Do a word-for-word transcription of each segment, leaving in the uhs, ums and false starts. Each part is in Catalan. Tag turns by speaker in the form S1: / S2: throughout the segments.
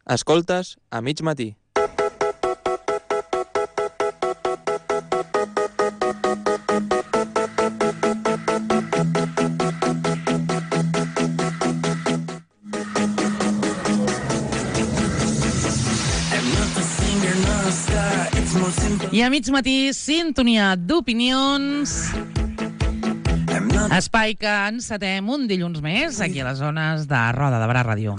S1: Escoltes a mig matí.
S2: I a mig matí, sintonia d'opinions. Espai que encetem un dilluns més aquí a les zones de Roda de Barà Ràdio.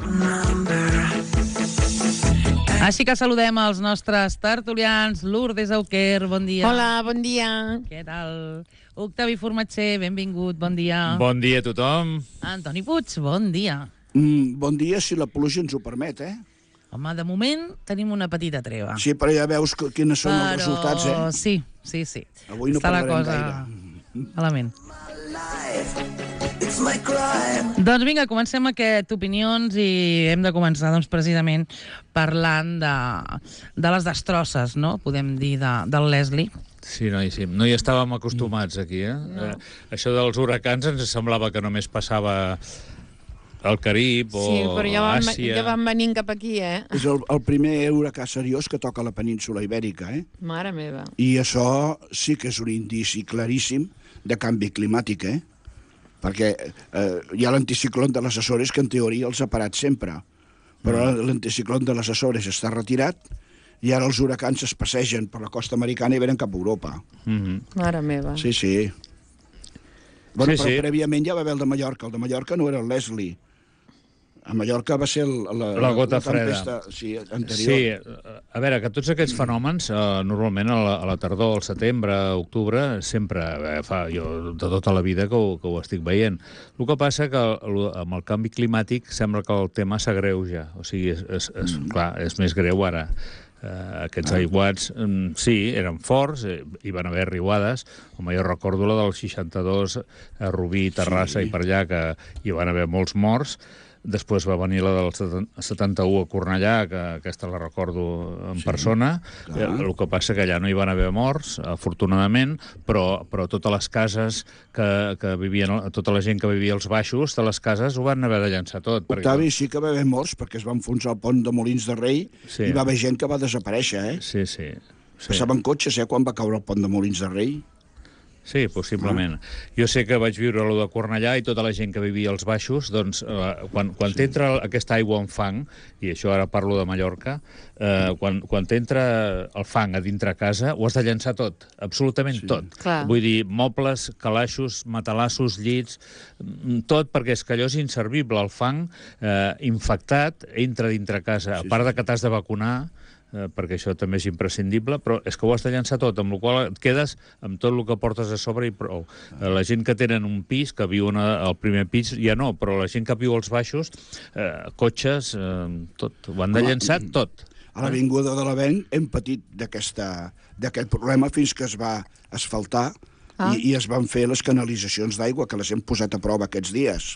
S2: Així que saludem els nostres tertulians. Lourdes Auquer, bon dia.
S3: Hola, bon dia.
S2: Què tal? Octavi Formatger, benvingut, bon dia.
S4: Bon dia a tothom.
S2: Antoni Puig, bon dia.
S5: Mm, bon dia, si la pluja ens ho permet, eh?
S2: Home, de moment tenim una petita treva.
S5: Sí, però ja veus que, quines són
S2: però...
S5: els resultats, eh?
S2: Sí, sí, sí.
S5: Avui no
S2: Està la
S5: parlarem
S2: cosa
S5: gaire.
S2: malament. Doncs vinga, comencem aquest Opinions i hem de començar doncs, precisament parlant de, de les destrosses, no? Podem dir, de, del Leslie.
S4: Sí, no, sí. No hi estàvem acostumats aquí, eh? No. eh? Això dels huracans ens semblava que només passava al Carib o
S3: sí, però ja van,
S4: Àsia.
S3: ja van venint cap aquí, eh?
S5: És el, el primer huracà seriós que toca la península ibèrica, eh?
S3: Mare meva.
S5: I això sí que és un indici claríssim de canvi climàtic, eh? Perquè eh, hi ha l'anticicló de les Açores que en teoria els ha parat sempre, però mm. l'anticicló de les Açores està retirat i ara els huracans es passegen per la costa americana i venen cap a Europa.
S4: Mm-hmm.
S3: Mare meva.
S5: Sí, sí. Bueno,
S4: sí,
S5: però
S4: sí.
S5: prèviament ja va haver el de Mallorca. El de Mallorca no era el Leslie. A Mallorca va ser el, la,
S4: la gota
S5: la tempesta,
S4: freda.
S5: Sí, anterior.
S4: Sí, a veure, que tots aquests fenòmens, eh, normalment a la, a la tardor, al setembre, a octubre, sempre eh, fa jo de tota la vida que ho, que ho estic veient. El que passa que el, amb el canvi climàtic sembla que el tema s'agreuja. O sigui, és, és, és, mm. clar, és més greu ara. Uh, aquests ah. aiguats, um, sí, eren forts, eh, hi van haver riuades, com jo recordo la del seixanta-dos a Rubí, Terrassa sí. i per allà, que hi van haver molts morts. Després va venir la del setanta-u a Cornellà, que aquesta la recordo en sí, persona. Clar. El que passa que allà no hi van haver morts, afortunadament, però, però totes les cases que, que vivien, tota la gent que vivia als baixos de les cases ho van haver de llançar tot.
S5: Octavi,
S4: perquè...
S5: sí que va haver morts, perquè es va enfonsar el pont de Molins de Rei sí. i va haver gent que va desaparèixer, eh?
S4: Sí, sí. sí.
S5: Passaven cotxes, eh, quan va caure el pont de Molins de Rei.
S4: Sí, possiblement. Ah. Jo sé que vaig viure allò de Cornellà i tota la gent que vivia als baixos, doncs, eh, quan, quan sí. t'entra aquesta aigua en fang, i això ara parlo de Mallorca, eh, quan, quan t'entra el fang a dintre casa, ho has de llançar tot, absolutament sí. tot.
S3: Clar.
S4: Vull dir, mobles, calaixos, matalassos, llits, tot, perquè és que allò és inservible. El fang eh, infectat entra dintre casa, sí, a part de que t'has de vacunar, Eh, perquè això també és imprescindible, però és que ho has de llançar tot, amb la qual et quedes amb tot el que portes a sobre i prou. Eh, la gent que tenen un pis, que viuen al primer pis, ja no, però la gent que viu als baixos, eh, cotxes, eh, tot, ho han de llançar tot.
S5: A l'Avinguda de l'Avenc hem patit d'aquest problema fins que es va asfaltar ah. i, i es van fer les canalitzacions d'aigua, que les hem posat a prova aquests dies.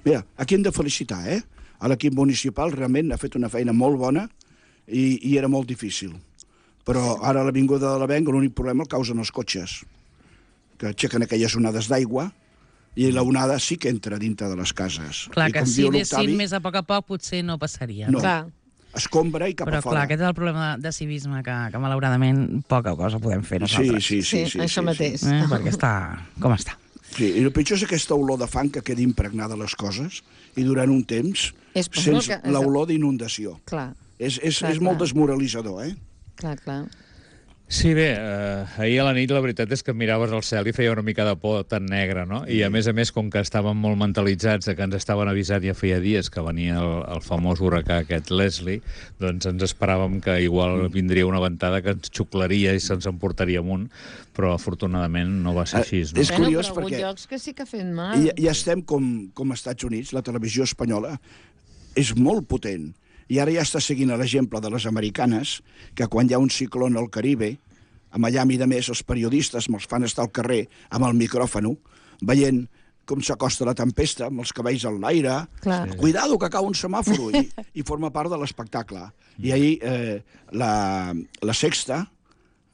S5: Mira, aquí hem de felicitar, eh? A l'equip municipal realment ha fet una feina molt bona I, i era molt difícil. Però ara a l'Avinguda de l'Avenc l'únic problema el causen els cotxes, que aixequen aquelles onades d'aigua i la onada sí que entra dintre de les cases.
S2: Clar,
S5: I
S2: que si anessin més a poc a poc potser no passaria.
S5: No,
S3: clar.
S5: escombra i cap
S2: Però,
S5: a fora.
S2: Però clar, aquest és el problema de civisme, que, que malauradament poca cosa podem fer nosaltres.
S5: Sí, sí, sí.
S3: sí,
S5: sí
S3: això
S5: sí,
S3: mateix.
S5: Sí.
S2: Eh? Perquè està com està.
S5: Sí, i el pitjor és aquesta olor de fang que queda impregnada a les coses i durant un temps
S3: és
S5: sents
S3: que...
S5: l'olor d'inundació.
S3: Clar.
S5: És, és,
S3: clar,
S5: és molt desmoralitzador, eh?
S3: Clar, clar.
S4: Sí, bé, eh, ahir a la nit la veritat és que miraves al cel i feia una mica de por tan negra, no? I a més a més, com que estàvem molt mentalitzats de que ens estaven avisant ja feia dies que venia el, el famós huracà aquest Leslie, doncs ens esperàvem que igual vindria una ventada que ens xuclaria i se'ns emportaria amunt, però afortunadament no va ser així, no?
S5: És curiós
S3: bueno, però
S5: perquè...
S3: hi ha llocs que sí que ha fet mal.
S5: Ja, ja estem com, com als Estats Units, la televisió espanyola és molt potent. I ara ja està seguint l'exemple de les americanes, que quan hi ha un ciclón al Caribe, a Miami, de més, els periodistes me'ls fan estar al carrer amb el micròfon, veient com s'acosta la tempesta, amb els cabells en l'aire,
S3: sí.
S5: cuidado que cau un semàforo, i, i forma part de l'espectacle. I ahir eh, la, la Sexta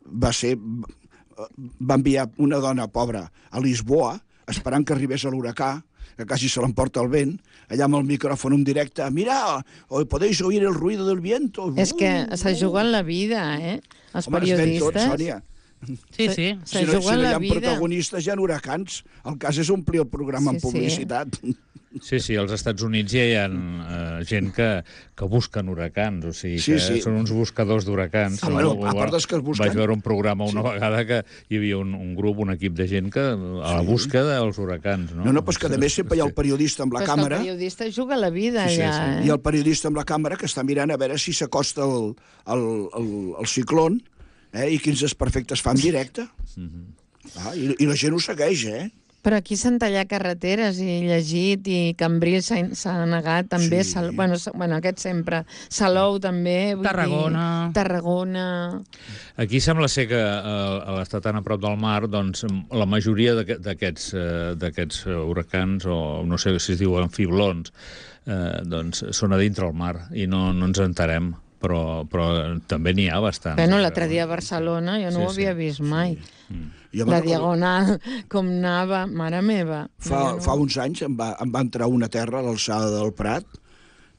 S5: va ser... va enviar una dona pobra a Lisboa, esperant que arribés a l'huracà, que quasi se l'emporta el vent, allà amb el micròfon en directe, mira, o podéis oír el ruido del viento.
S3: És que se juguen la vida, eh? Els
S5: Home, es ven tot,
S3: periodistes.
S5: Sònia.
S2: Sí, sí.
S3: Se
S5: Si no, si
S3: juguen
S5: no hi
S3: la
S5: ha
S3: vida.
S5: protagonistes, hi ha huracans. El cas és omplir el programa
S3: Sí,
S5: amb publicitat.
S4: Sí, sí, als Estats Units ja hi ha eh, gent que, que busquen huracans, o sigui,
S5: Sí,
S4: que
S5: sí.
S4: són uns buscadors d'huracans.
S5: Ah, bueno, a part dels que es busquen.
S4: Vaig veure un programa una vegada que hi havia un, un grup, un equip de gent que a la búsqueda dels huracans, no?
S5: No, no, però és que a més sempre hi ha el periodista amb la
S3: Però és que
S5: càmera,
S3: el periodista juga la vida
S5: sí, sí,
S3: allà,
S5: sí.
S3: eh?
S5: i el periodista amb la càmera que està mirant a veure si s'acosta el, el, el, el ciclón, eh, i quins desperfectes fa en directe. Ah, i, I la gent ho segueix, eh?
S3: Però aquí s'han tallat carreteres i he llegit i Cambrils s'ha s'ha negat també,
S5: Sí.
S3: Sal, bueno, s- bueno, aquest sempre, Salou també, vull
S2: Tarragona.
S3: dir, Tarragona.
S4: Aquí sembla ser que eh, a l'estar tan a prop del mar, doncs la majoria d'aquest- d'aquests eh, d'aquests eh, huracans, o no sé si es diuen fiblons, eh, doncs són a dintre el mar i no, no ens enterem, però, però també n'hi ha bastants.
S3: Bueno, l'altre dia a Barcelona jo no
S4: Sí,
S3: ho havia
S4: sí,
S3: vist mai.
S5: Jo
S3: La
S5: me'n recordo-
S3: diagonal, com anava, mare meva.
S5: Fa,
S3: No,
S5: fa uns anys em va, em va entrar una terra a l'alçada del Prat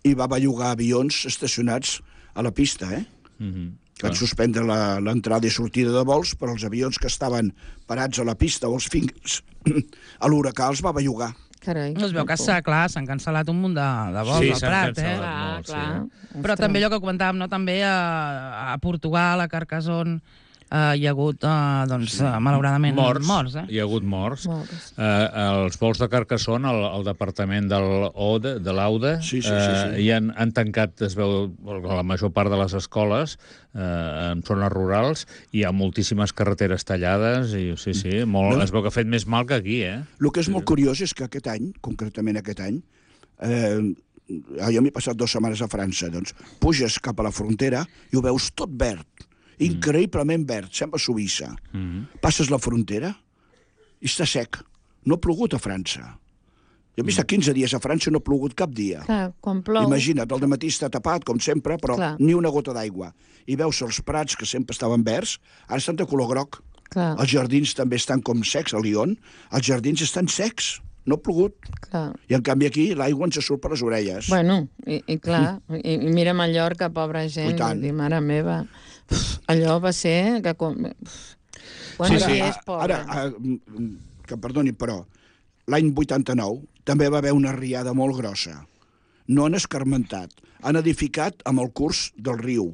S5: i va bellugar avions estacionats a la pista, eh?
S4: Mhm.
S5: Van suspendre la- l'entrada i sortida de vols, però els avions que estaven parats a la pista o els fins a l'huracà els va bellugar.
S3: Carai.
S2: Es veu que s'ha, clar, s'han cancel·lat un munt de, de vols
S4: Sí,
S2: al
S4: s'han
S2: Prat, eh?
S4: cancel·lat.
S3: Clar,
S4: molt, sí.
S3: clar.
S2: Però
S3: Ostres.
S2: també allò que comentàvem, no? També a, a Portugal, a Carcassonne, eh, hi ha hagut, eh, doncs, sí. malauradament,
S4: Morts,
S2: morts eh?
S4: hi ha hagut morts.
S3: Morts.
S4: Eh, els vols de Carcassonne, el, el departament del O D E, de l'Auda,
S5: Sí, sí, sí,
S4: eh,
S5: sí.
S4: hi han, han tancat, es veu, la major part de les escoles eh, en zones rurals, hi ha moltíssimes carreteres tallades, i sí, sí, molt,
S5: No.
S4: es veu que ha fet més mal que aquí, eh?
S5: El que és molt curiós és que aquest any, concretament aquest any, eh, jo m'he passat dues setmanes a França, doncs puges cap a la frontera i ho veus tot verd, increïblement verd, sembla Suïssa.
S4: Mm.
S5: Passes la frontera i està sec. No ha plogut a França. Jo he estat quinze dies a França i no ha plogut cap dia.
S3: Clar, quan plou...
S5: Imagina't, el dematí està tapat, com sempre, però
S3: Clar.
S5: ni una gota d'aigua. I veus els prats, que sempre estaven verds, ara estan de color groc.
S3: Clar,
S5: Els jardins també estan com secs, a Lyon. Els jardins estan secs, no ha plogut.
S3: clar.
S5: I en canvi aquí l'aigua ens surt per les orelles.
S3: Bueno, i, i clar, i, i mira Mallorca, pobra gent,
S5: I tant.
S3: vull dir, mare meva, pf, allò va ser que... Com... Quants
S4: Sí, sí.
S3: dies, pobre?
S5: Ara, ah, mm, que perdoni, però l'any vuitanta-nou també va haver una riada molt grossa. No han escarmentat, han edificat amb el curs del riu.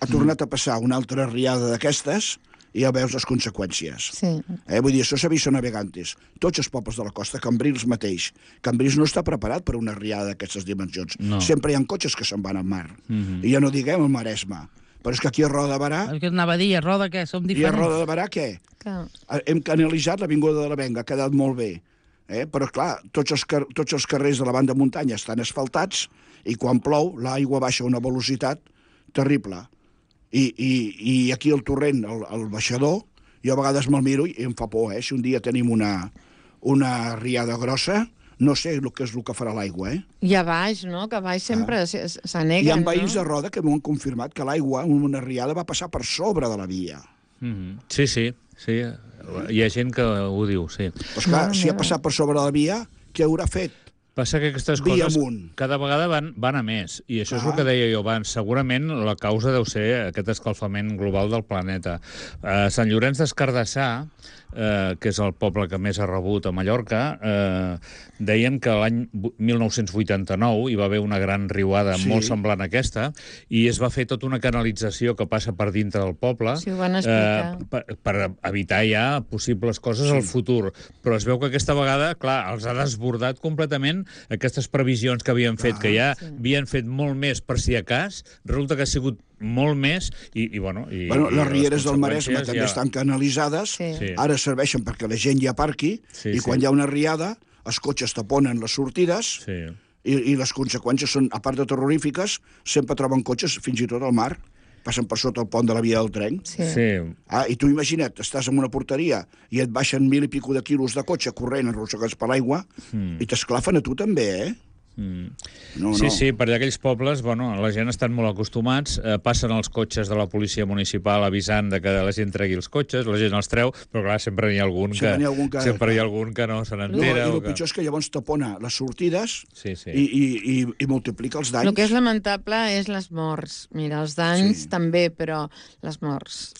S5: Ha tornat a passar una altra riada d'aquestes i ja veus les conseqüències.
S3: Sí,
S5: Eh, vull dir, això s'ha vist a Navegantes. Tots els pobles de la costa, Cambrils mateix. Cambrils no està preparat per una riada d'aquestes dimensions.
S4: No.
S5: Sempre hi ha cotxes que se'n van al mar.
S4: Mhm.
S5: I ja no diguem el Maresme. Però és que aquí a Roda de Barà,
S2: El que anava a dir, a Roda, què? Som
S5: i a
S2: diferents?
S5: Roda de Barà què?
S3: clar.
S5: Hem canalitzat l'Avinguda de la Venga, ha quedat molt bé. Eh? Però, clar, tots els, car tots els carrers de la banda de muntanya estan asfaltats i quan plou l'aigua baixa a una velocitat terrible. I, i, i aquí el torrent, el, el baixador, jo a vegades me'l miro i em fa por, eh? Si un dia tenim una, una riada grossa, no sé el que és el que farà l'aigua, eh?
S3: I a baix, no? Que a baix sempre
S5: Ah.
S3: s-
S5: Hi
S3: s'aneguen,
S5: ha
S3: no?
S5: veïns de Roda que m'ho han confirmat que l'aigua, en una riada, va passar per sobre de la via.
S4: Mhm. Sí, sí, sí. Hi ha gent que ho diu, sí.
S5: Però, esclar,
S3: Mare
S5: si ha
S3: meva.
S5: passat per sobre de la via, què haurà fet?
S4: Passa que aquestes
S5: Via
S4: coses
S5: amunt.
S4: cada vegada van, van a més, i això és
S5: Ah.
S4: el que deia jo abans. Segurament la causa deu ser aquest escalfament global del planeta. A Sant Llorenç des Cardassar, eh, que és el poble que més ha rebut a Mallorca, eh, deien que l'any mil nou-cents vuitanta-nou hi va haver una gran riuada
S5: Sí.
S4: molt semblant a aquesta, i es va fer tota una canalització que passa per dintre del poble,
S3: Sí, ho van explicar.
S4: eh, per, per evitar ja possibles coses sí. al futur. Però es veu que aquesta vegada, clar, els ha desbordat completament aquestes previsions que havien fet,
S5: Ah,
S4: que ja
S3: sí.
S4: havien fet molt més per si a cas, resulta que ha sigut molt més, i, i bueno... I,
S5: Bueno,
S4: i
S5: les rieres del
S4: conseqüències
S5: Maresme també estan canalitzades,
S3: Sí.
S4: Sí.
S5: ara serveixen perquè la gent hi aparqui,
S4: Sí,
S5: i
S4: sí.
S5: quan hi ha una riada, els cotxes taponen les sortides,
S4: Sí.
S5: i, i les conseqüències són, a part de terrorífiques, sempre troben cotxes fins i tot al mar, passen per sota el pont de la via del tren.
S3: Sí.
S4: Sí.
S5: Ah, i tu imagina't, estàs en una porteria i et baixen mil i pico de quilos de cotxe corrent, arrossegats per l'aigua,
S4: Mm.
S5: i t'esclafen a tu també, eh?
S4: Mm.
S5: No,
S4: sí,
S5: no.
S4: sí, per allà aquells pobles, bueno, la gent estan molt acostumats, eh, passen els cotxes de la policia municipal avisant de que la gent tregui els cotxes, la gent els treu, però clar, sempre n'hi ha algun que,
S5: Sempre n'hi ha algun que-
S4: sempre hi ha algun que no se
S5: No,
S4: n'entera.
S5: I
S4: o
S5: el
S4: que...
S5: pitjor és que llavors tapona les sortides
S4: Sí, sí.
S5: i, i, i, i multiplica els danys.
S3: El que és lamentable és les morts. Mira, els danys
S5: Sí.
S3: també, però les morts.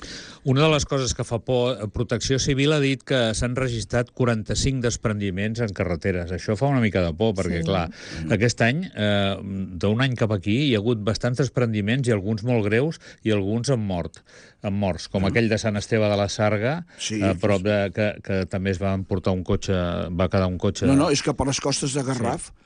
S4: Una de les coses que fa por, Protecció Civil ha dit que s'han registrat quaranta-cinc desprendiments en carreteres. Això fa una mica de por, perquè,
S3: Sí.
S4: clar, aquest any, eh, d'un any cap aquí, hi ha hagut bastants desprendiments i alguns molt greus i alguns amb mort, amb morts, com aquell de Sant Esteve de la Sarga,
S5: Sí.
S4: a prop de, que, que també es va emportar un cotxe, va quedar un cotxe...
S5: No, no, és que per les costes de Garraf, sí.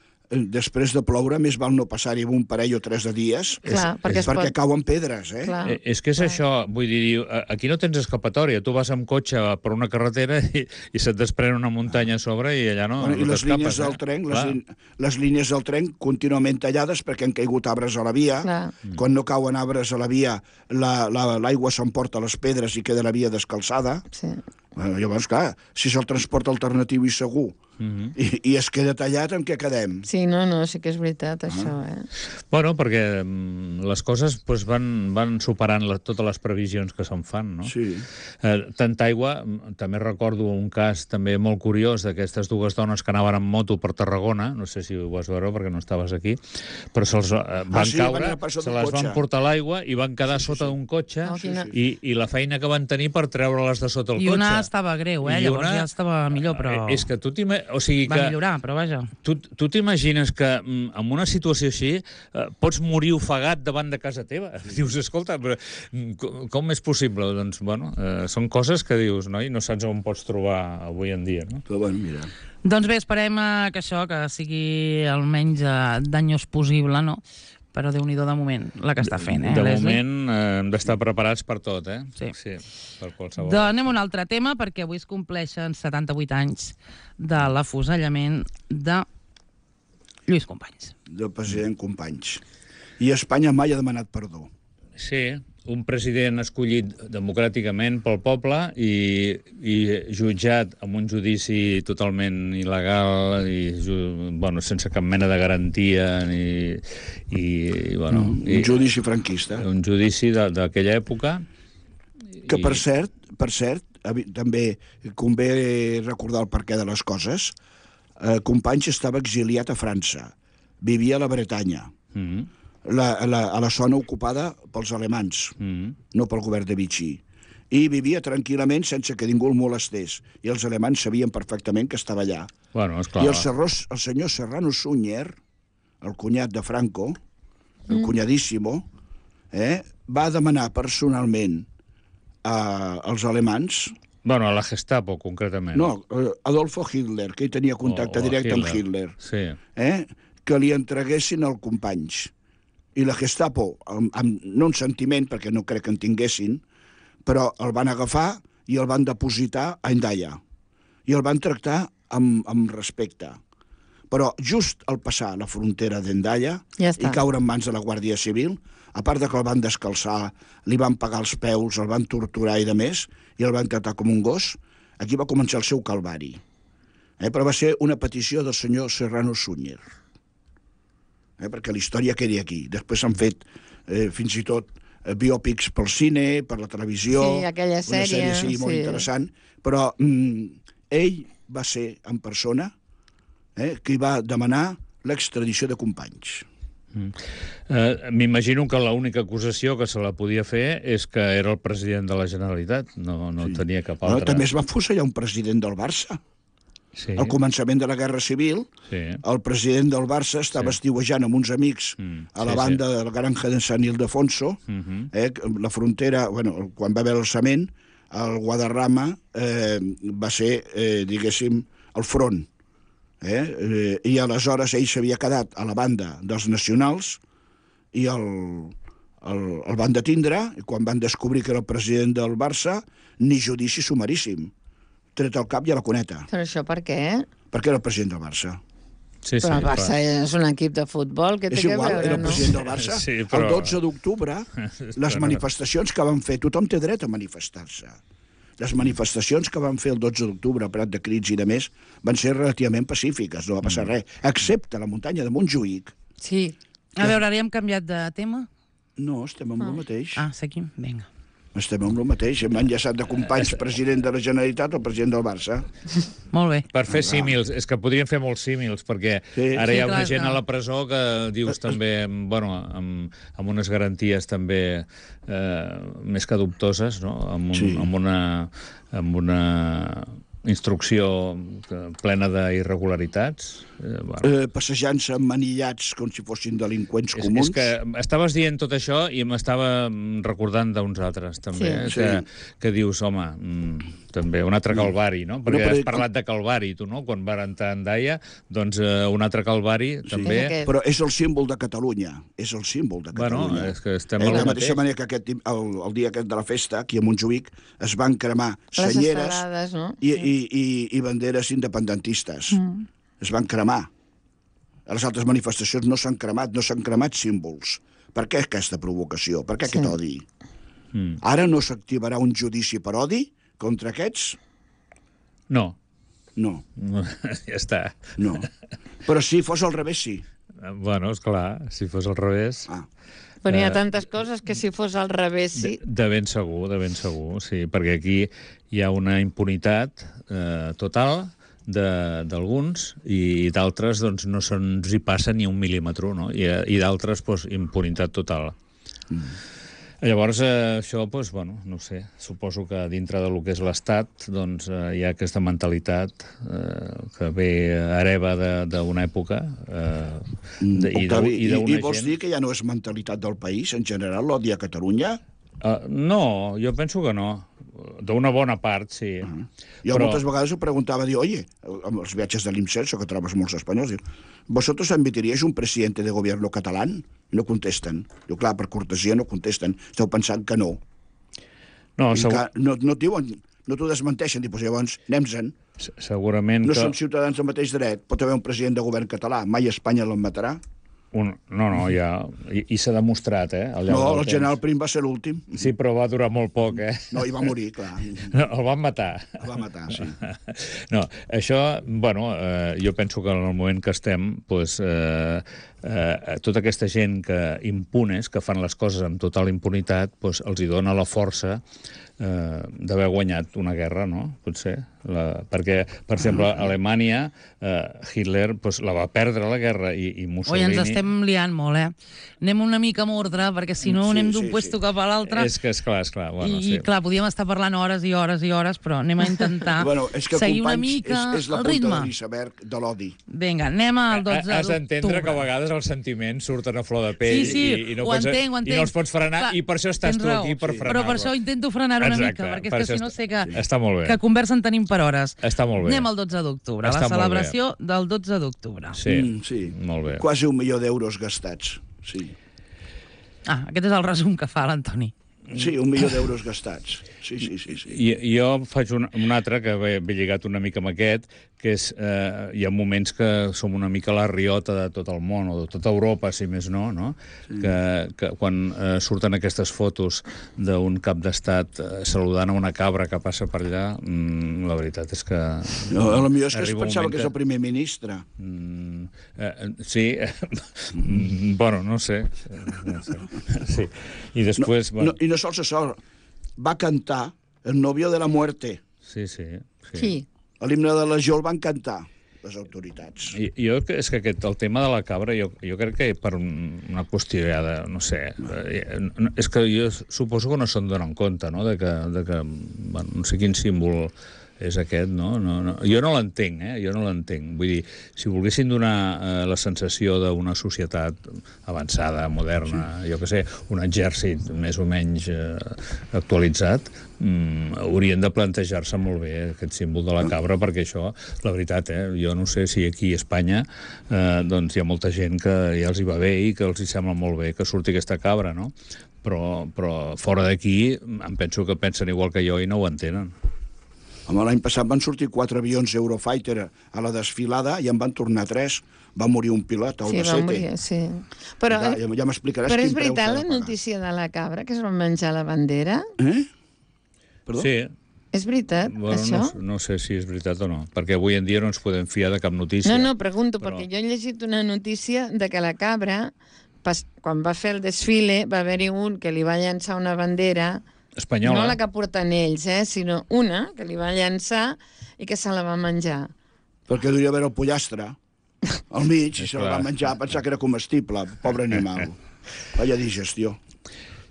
S5: després de ploure, més val no passar-hi un parell o tres de dies,
S3: Clar,
S5: és,
S3: perquè
S5: és
S3: es
S5: perquè
S3: pot-
S5: cauen pedres, eh?
S3: Clar.
S4: Eh, És que és això, vull dir, diu, eh, aquí no tens escapatòria, tu vas amb cotxe per una carretera i, i se't desprèn una muntanya a sobre i allà no,
S5: Bueno, I
S4: no
S5: les
S4: t'escapes.
S5: línies del
S4: eh?
S5: tren, les,
S4: Clar.
S5: lin- les línies del tren contínuament tallades perquè han caigut arbres a la via.
S3: Clar.
S5: Quan no cauen arbres a la via, la- la- l'aigua s'emporta les pedres i queda la via descalçada.
S3: Sí.
S5: Bueno, llavors, clar, si és el transport alternatiu i segur
S4: Mhm.
S5: i, i es queda tallat, en què quedem?
S3: Sí, no, no, sí que és veritat, això, eh?
S4: Bueno, perquè mm, les coses pues, van, van superant la, totes les previsions que se'n fan, no?
S5: Sí.
S4: Eh, tanta aigua, mm, també recordo un cas també molt curiós d'aquestes dues dones que anaven en moto per Tarragona, no sé si ho vas veure perquè no estaves aquí, però se'ls eh, van
S5: sí, van
S4: caure,
S5: anar per sota
S4: se
S5: d'un
S4: les van
S5: cotxe.
S4: portar a l'aigua i van quedar
S5: Sí, sí,
S4: sota
S5: sí.
S4: d'un cotxe
S3: Oh, quina-
S4: i, i la feina que van tenir per treure-les de sota el
S2: I
S4: cotxe.
S2: una estava greu, eh?
S4: I
S2: Llavors
S4: una-
S2: ja estava millor, però...
S4: Eh, És que tu t'ima- o sigui
S2: Va
S4: que
S2: millorar, però vaja.
S4: Tu, tu t'imagines que mm, en una situació així eh, pots morir ofegat davant de casa teva? Dius, escolta, però, mm, com, com és possible? Doncs, bueno, eh, són coses que dius, no? I no saps on pots trobar avui en dia, no?
S5: Però, bueno, mira...
S2: Doncs bé, esperem eh, que això, que sigui el menys eh, danyós possible, no? Però Déu-n'hi-do de moment, la que està fent, eh,
S4: De
S2: Leslie?
S4: moment eh, hem d'estar preparats per tot, eh?
S2: Sí.
S4: Sí, per qualsevol.
S2: Doncs anem a un altre tema, perquè avui es compleixen setanta-vuit anys de l'afusellament de Lluís Companys.
S5: del president Companys. I Espanya mai ha demanat perdó.
S4: Sí, un president escollit democràticament pel poble i, i jutjat amb un judici totalment il·legal i ju- bueno, sense cap mena de garantia ni, i, i, bueno,
S5: Un
S4: i,
S5: judici franquista.
S4: un judici de- d'aquella època.
S5: Que,
S4: i-
S5: per cert, per cert, avi- també convé recordar el perquè de les coses. Eh, Companys estava exiliat a França. Vivia a la Bretanya,
S4: Mm,
S5: la, a, la, a la zona ocupada pels alemans,
S4: mm,
S5: no pel govern de Vichy. I vivia tranquil·lament sense que ningú el molestés. I els alemans sabien perfectament que estava allà.
S4: bueno, esclar.
S5: I el, Serrós, el senyor Serrano Suñer, el cunyat de Franco, el cunyadíssimo, eh, va demanar personalment a, als alemans,
S4: Bueno, a la Gestapo, concretament.
S5: no, eh, Adolfo Hitler, que hi tenia contacte
S4: O- o
S5: directe amb
S4: Hitler.
S5: Hitler,
S4: Sí.
S5: eh, que li entreguessin el Companys. I la Gestapo, amb, amb, no un sentiment, perquè no crec que en tinguessin, però el van agafar i el van depositar a Hendaya. I el van tractar amb, amb respecte. Però just al passar la frontera d'Hendaya
S3: Ja
S5: i
S3: està.
S5: caure en mans de la Guàrdia Civil, a part de que el van descalçar, li van pagar els peus, el van torturar i de més, i el van tratar com un gos, aquí va començar el seu calvari. Eh, però va ser una petició del senyor Serrano Suñer. Eh, perquè la història quedi aquí. Després s'han fet eh, fins i tot eh, biòpics pel cine, per la televisió...
S3: Sí, aquella
S5: Una sèrie,
S3: sèrie,
S5: sí, molt
S3: sí.
S5: interessant. Però mm, ell va ser en persona eh, qui va demanar l'extradició de Companys.
S4: Eh, M'imagino que l'única acusació que se la podia fer és que era el president de la Generalitat. No, no
S5: Sí.
S4: tenia cap
S5: Però
S4: altra.
S5: també es va fusellar un president del Barça.
S4: Sí.
S5: Al començament de la Guerra Civil,
S4: Sí.
S5: el president del Barça estava
S4: Sí.
S5: estiuejant amb uns amics
S4: Mm,
S5: a la
S4: sí,
S5: banda de la granja de Sant Ildefonso,
S4: Mhm.
S5: eh, la frontera, bueno, quan va haver l'alçament, el Guadarrama eh, va ser, eh, diguéssim, el front. Eh? Eh, I aleshores ell s'havia quedat a la banda dels nacionals i el, el, el van detindre, i quan van descobrir que era el president del Barça, ni judici sumaríssim. Tret al cap i a la cuneta,
S3: Però això per què?
S5: perquè era el president del Barça.
S4: Sí,
S3: Però el Barça
S4: clar.
S3: és un equip de futbol, que té
S5: És
S3: que
S5: igual,
S3: veure,
S5: era el
S3: no?
S5: president del Barça.
S4: Sí, però-
S5: El dotze d'octubre, les
S4: Però no.
S5: manifestacions que van fer, tothom té dret a manifestar-se. les manifestacions que van fer el dotze d'octubre a Prat de Crits i de més van ser relativament pacífiques, no va passar res, excepte la muntanya de Montjuïc.
S3: Sí.
S2: A veure, ara hem canviat de tema?
S5: No, estem amb el mateix.
S2: Ah, seguim? Vinga.
S5: Estem amb el mateix. Hem enllaçat de companys president de la Generalitat o president del Barça.
S2: Molt bé.
S4: Per fer símils, és que podrien fer molts símils, perquè
S5: Sí.
S4: ara hi ha
S2: Sí,
S4: una
S2: clar,
S4: gent
S2: clar.
S4: a la presó que dius també, bueno, amb, amb unes garanties també eh, més que dubtoses, no? Amb, un,
S5: Sí.
S4: amb, una, amb una instrucció que- plena d'irregularitats. Eh, bueno.
S5: Eh, passejant-se manillats com si fossin delinqüents
S4: És,
S5: comuns.
S4: és que estaves dient tot això i m'estava recordant d'uns altres, també,
S3: Sí.
S4: que,
S5: Sí.
S4: que dius, home, mm, també un altre calvari, no? Perquè
S5: però-
S4: has parlat de calvari, tu, no? Quan van entrar en Daia, doncs eh, un altre calvari, també...
S3: És aquest.
S5: Però és el símbol de Catalunya. És el símbol de
S4: Bueno,
S5: Catalunya.
S4: és que estem
S5: Eh,
S4: a
S5: de
S4: lo
S5: la mateixa
S4: mateix.
S5: manera que aquest, el, el dia aquest de la festa, aquí a Montjuïc, es van cremar
S3: Les
S5: senyeres
S3: estelades, no?
S5: i, i, i, i banderes independentistes. Mm. Es van cremar. A les altres manifestacions no s'han cremat, no s'han cremat símbols. Per què aquesta provocació? Per què
S3: Sí.
S5: aquest odi?
S4: Mm.
S5: Ara no s'activarà un judici per odi contra aquests?
S4: No,
S5: No,
S4: ja està.
S5: no. Però si fos al revés, sí.
S4: Bueno, és clar, si fos al revés...
S5: Ah.
S3: Però hi
S4: Eh,
S3: ha tantes coses que si fos al revés, sí.
S4: De, de ben segur, de ben segur, sí, perquè aquí hi ha una impunitat eh, total de- d'alguns i d'altres doncs, no se'ns hi passa ni un mil·límetre, no? I, i d'altres doncs, impunitat total. Mm. Llavors, eh, això, doncs, bueno, no ho sé, suposo que dintre del que és l'Estat doncs, eh, hi ha aquesta mentalitat eh, que ve hereva de- d'una època eh, de, i
S5: Octavi,
S4: d'una
S5: i,
S4: d'una
S5: i vols
S4: gent...
S5: dir que ja no és mentalitat del país, en general, l'odi a Catalunya?
S4: Uh, no, jo penso que no. D'una bona part, sí. Uh -huh.
S5: Jo
S4: Però-
S5: moltes vegades ho preguntava, diu, oye, amb els viatges de l'IMSERSO, que trobes molts espanyols, diu, ¿vosotros admitiríais un presidente de gobierno catalán? No contesten. Diu, clar, per cortesia no contesten. Esteu pensant que no.
S4: No,
S5: I
S4: segur,
S5: que no, no et diuen, no t'ho desmenteixen. Diu, pues llavors, anem-se'n.
S4: se- segurament
S5: No
S4: que...
S5: som ciutadans del mateix dret. Pot haver un president de govern català. Mai Espanya l'admetrà.
S4: Un... No, no, ja... I, i s'ha demostrat, eh? Al llarg
S5: No,
S4: del
S5: el
S4: temps.
S5: general Prim va ser l'últim.
S4: Sí, però va durar molt poc, eh?
S5: No, i va morir, clar.
S4: No, el van matar.
S5: El va matar, sí.
S4: No, això, bueno, eh, jo penso que en el moment que estem, doncs, eh, eh, tota aquesta gent que impunes, que fan les coses amb total impunitat, doncs, els hi dona la força eh, d'haver guanyat una guerra, no? Potser. La, perquè, per exemple, a Alemanya, eh, Hitler doncs, la va perdre la guerra i, i
S2: Oi,
S4: Mussolini...
S2: ens estem liant molt, eh? Anem una mica amb ordre, perquè si no
S5: Sí,
S2: anem
S5: sí,
S2: d'un
S5: sí.
S2: puesto cap a l'altre.
S4: És que, esclar, esclar, bueno,
S2: I,
S4: sí.
S2: I, clar, podíem estar parlant hores i hores i hores, però anem a intentar
S5: Bueno, és que,
S2: seguir una
S5: companys,
S2: mica
S5: és, és la
S2: el
S5: punta
S2: ritme.
S5: de l'iceberg de l'odi.
S2: Vinga, anem al dotze d'octubre.
S4: Has d'entendre que a vegades els sentiments surten a flor de pell
S2: Sí, sí,
S4: i, i, no
S2: ho
S4: pots,
S2: entenc, ho
S4: i
S2: entenc.
S4: no els pots frenar,
S2: Clar,
S4: i per això estàs
S2: tens
S4: tu
S2: raó.
S4: aquí per
S5: Sí.
S4: frenar-lo.
S2: Però per això intento frenar una
S4: Exacte,
S2: mica, perquè
S4: per
S2: és que
S4: això
S2: si no
S4: està-
S2: sé que,
S4: Està molt bé.
S2: que conversa en tenim per hores.
S4: Està molt bé.
S2: Anem al dotze d'octubre, la
S4: Està molt bé.
S2: celebració del dotze d'octubre.
S4: Sí,
S5: Mm, sí.
S4: molt bé.
S5: Quasi un milió d'euros gastats. Sí.
S2: Ah, aquest és el resum que fa l'Antoni.
S5: Sí, un milió d'euros gastats. Sí, sí, sí. sí.
S4: I, jo faig un, un altre que ve, ve lligat una mica amb aquest, que és, eh, hi ha moments que som una mica la riota de tot el món, o de tota Europa, si més no, no? Sí. Que, que quan eh, surten aquestes fotos d'un cap d'estat eh, saludant a una cabra que passa per allà, mm, la veritat és que...
S5: No, a lo millor és que es
S4: arriba un
S5: pensava
S4: moment
S5: que és el primer ministre.
S4: Mm, eh, sí, mm, bueno, no sé. No sé. Sí. I després...
S5: No, I no sols això, va cantar El novio de la muerte.
S4: Sí, sí. sí.
S3: Sí.
S5: L'himne de la Legió el van cantar les autoritats.
S4: I, jo és que aquest, el tema de la cabra, jo, jo crec que per un, una qüestió ja de, no sé, eh, no, és que jo suposo que no se'n donen compte, no?, de que, de que bueno, no sé quin símbol és aquest, no? no, no. Jo no l'entenc, eh? Jo no l'entenc. Vull dir, si volguessin donar eh, la sensació d'una societat avançada, moderna, sí. jo què sé, un exèrcit més o menys eh, actualitzat, mm, haurien de plantejar-se molt bé aquest símbol de la cabra, perquè això, la veritat, eh, jo no sé si aquí a Espanya eh, doncs hi ha molta gent que ja els hi va bé i que els hi sembla molt bé que surti aquesta cabra, no? Però, però fora d'aquí em penso que pensen igual que jo i no ho entenen.
S5: Home, l'any passat van sortir quatre avions Eurofighter a la desfilada i en van tornar tres. Va morir un pilot, el
S3: Sí,
S5: de
S3: va
S5: Sete.
S3: morir, sí. Però,
S5: Ja, ja, ja m'explicaràs
S3: però
S5: quin
S3: és
S5: preu
S3: veritat
S5: s'ha
S3: la
S5: de pagar.
S3: notícia de la cabra, que es van menjar la bandera?
S5: Eh? Perdó?
S4: Sí,
S3: És veritat,
S4: Bueno,
S3: això?
S4: no, no sé si és veritat o no, perquè avui en dia no ens podem fiar de cap notícia.
S3: No, no, pregunto,
S4: però...
S3: perquè jo he llegit una notícia de que la cabra, pas, quan va fer el desfile, va haver-hi un que li va llançar una bandera,
S4: Espanyola.
S3: no la que porten ells, eh, sinó una que li va llançar i que se la va menjar.
S5: Perquè duia haver el pollastre al mig i se la va
S4: clar.
S5: menjar, pensar que era comestible, pobre animal. Vaya digestió.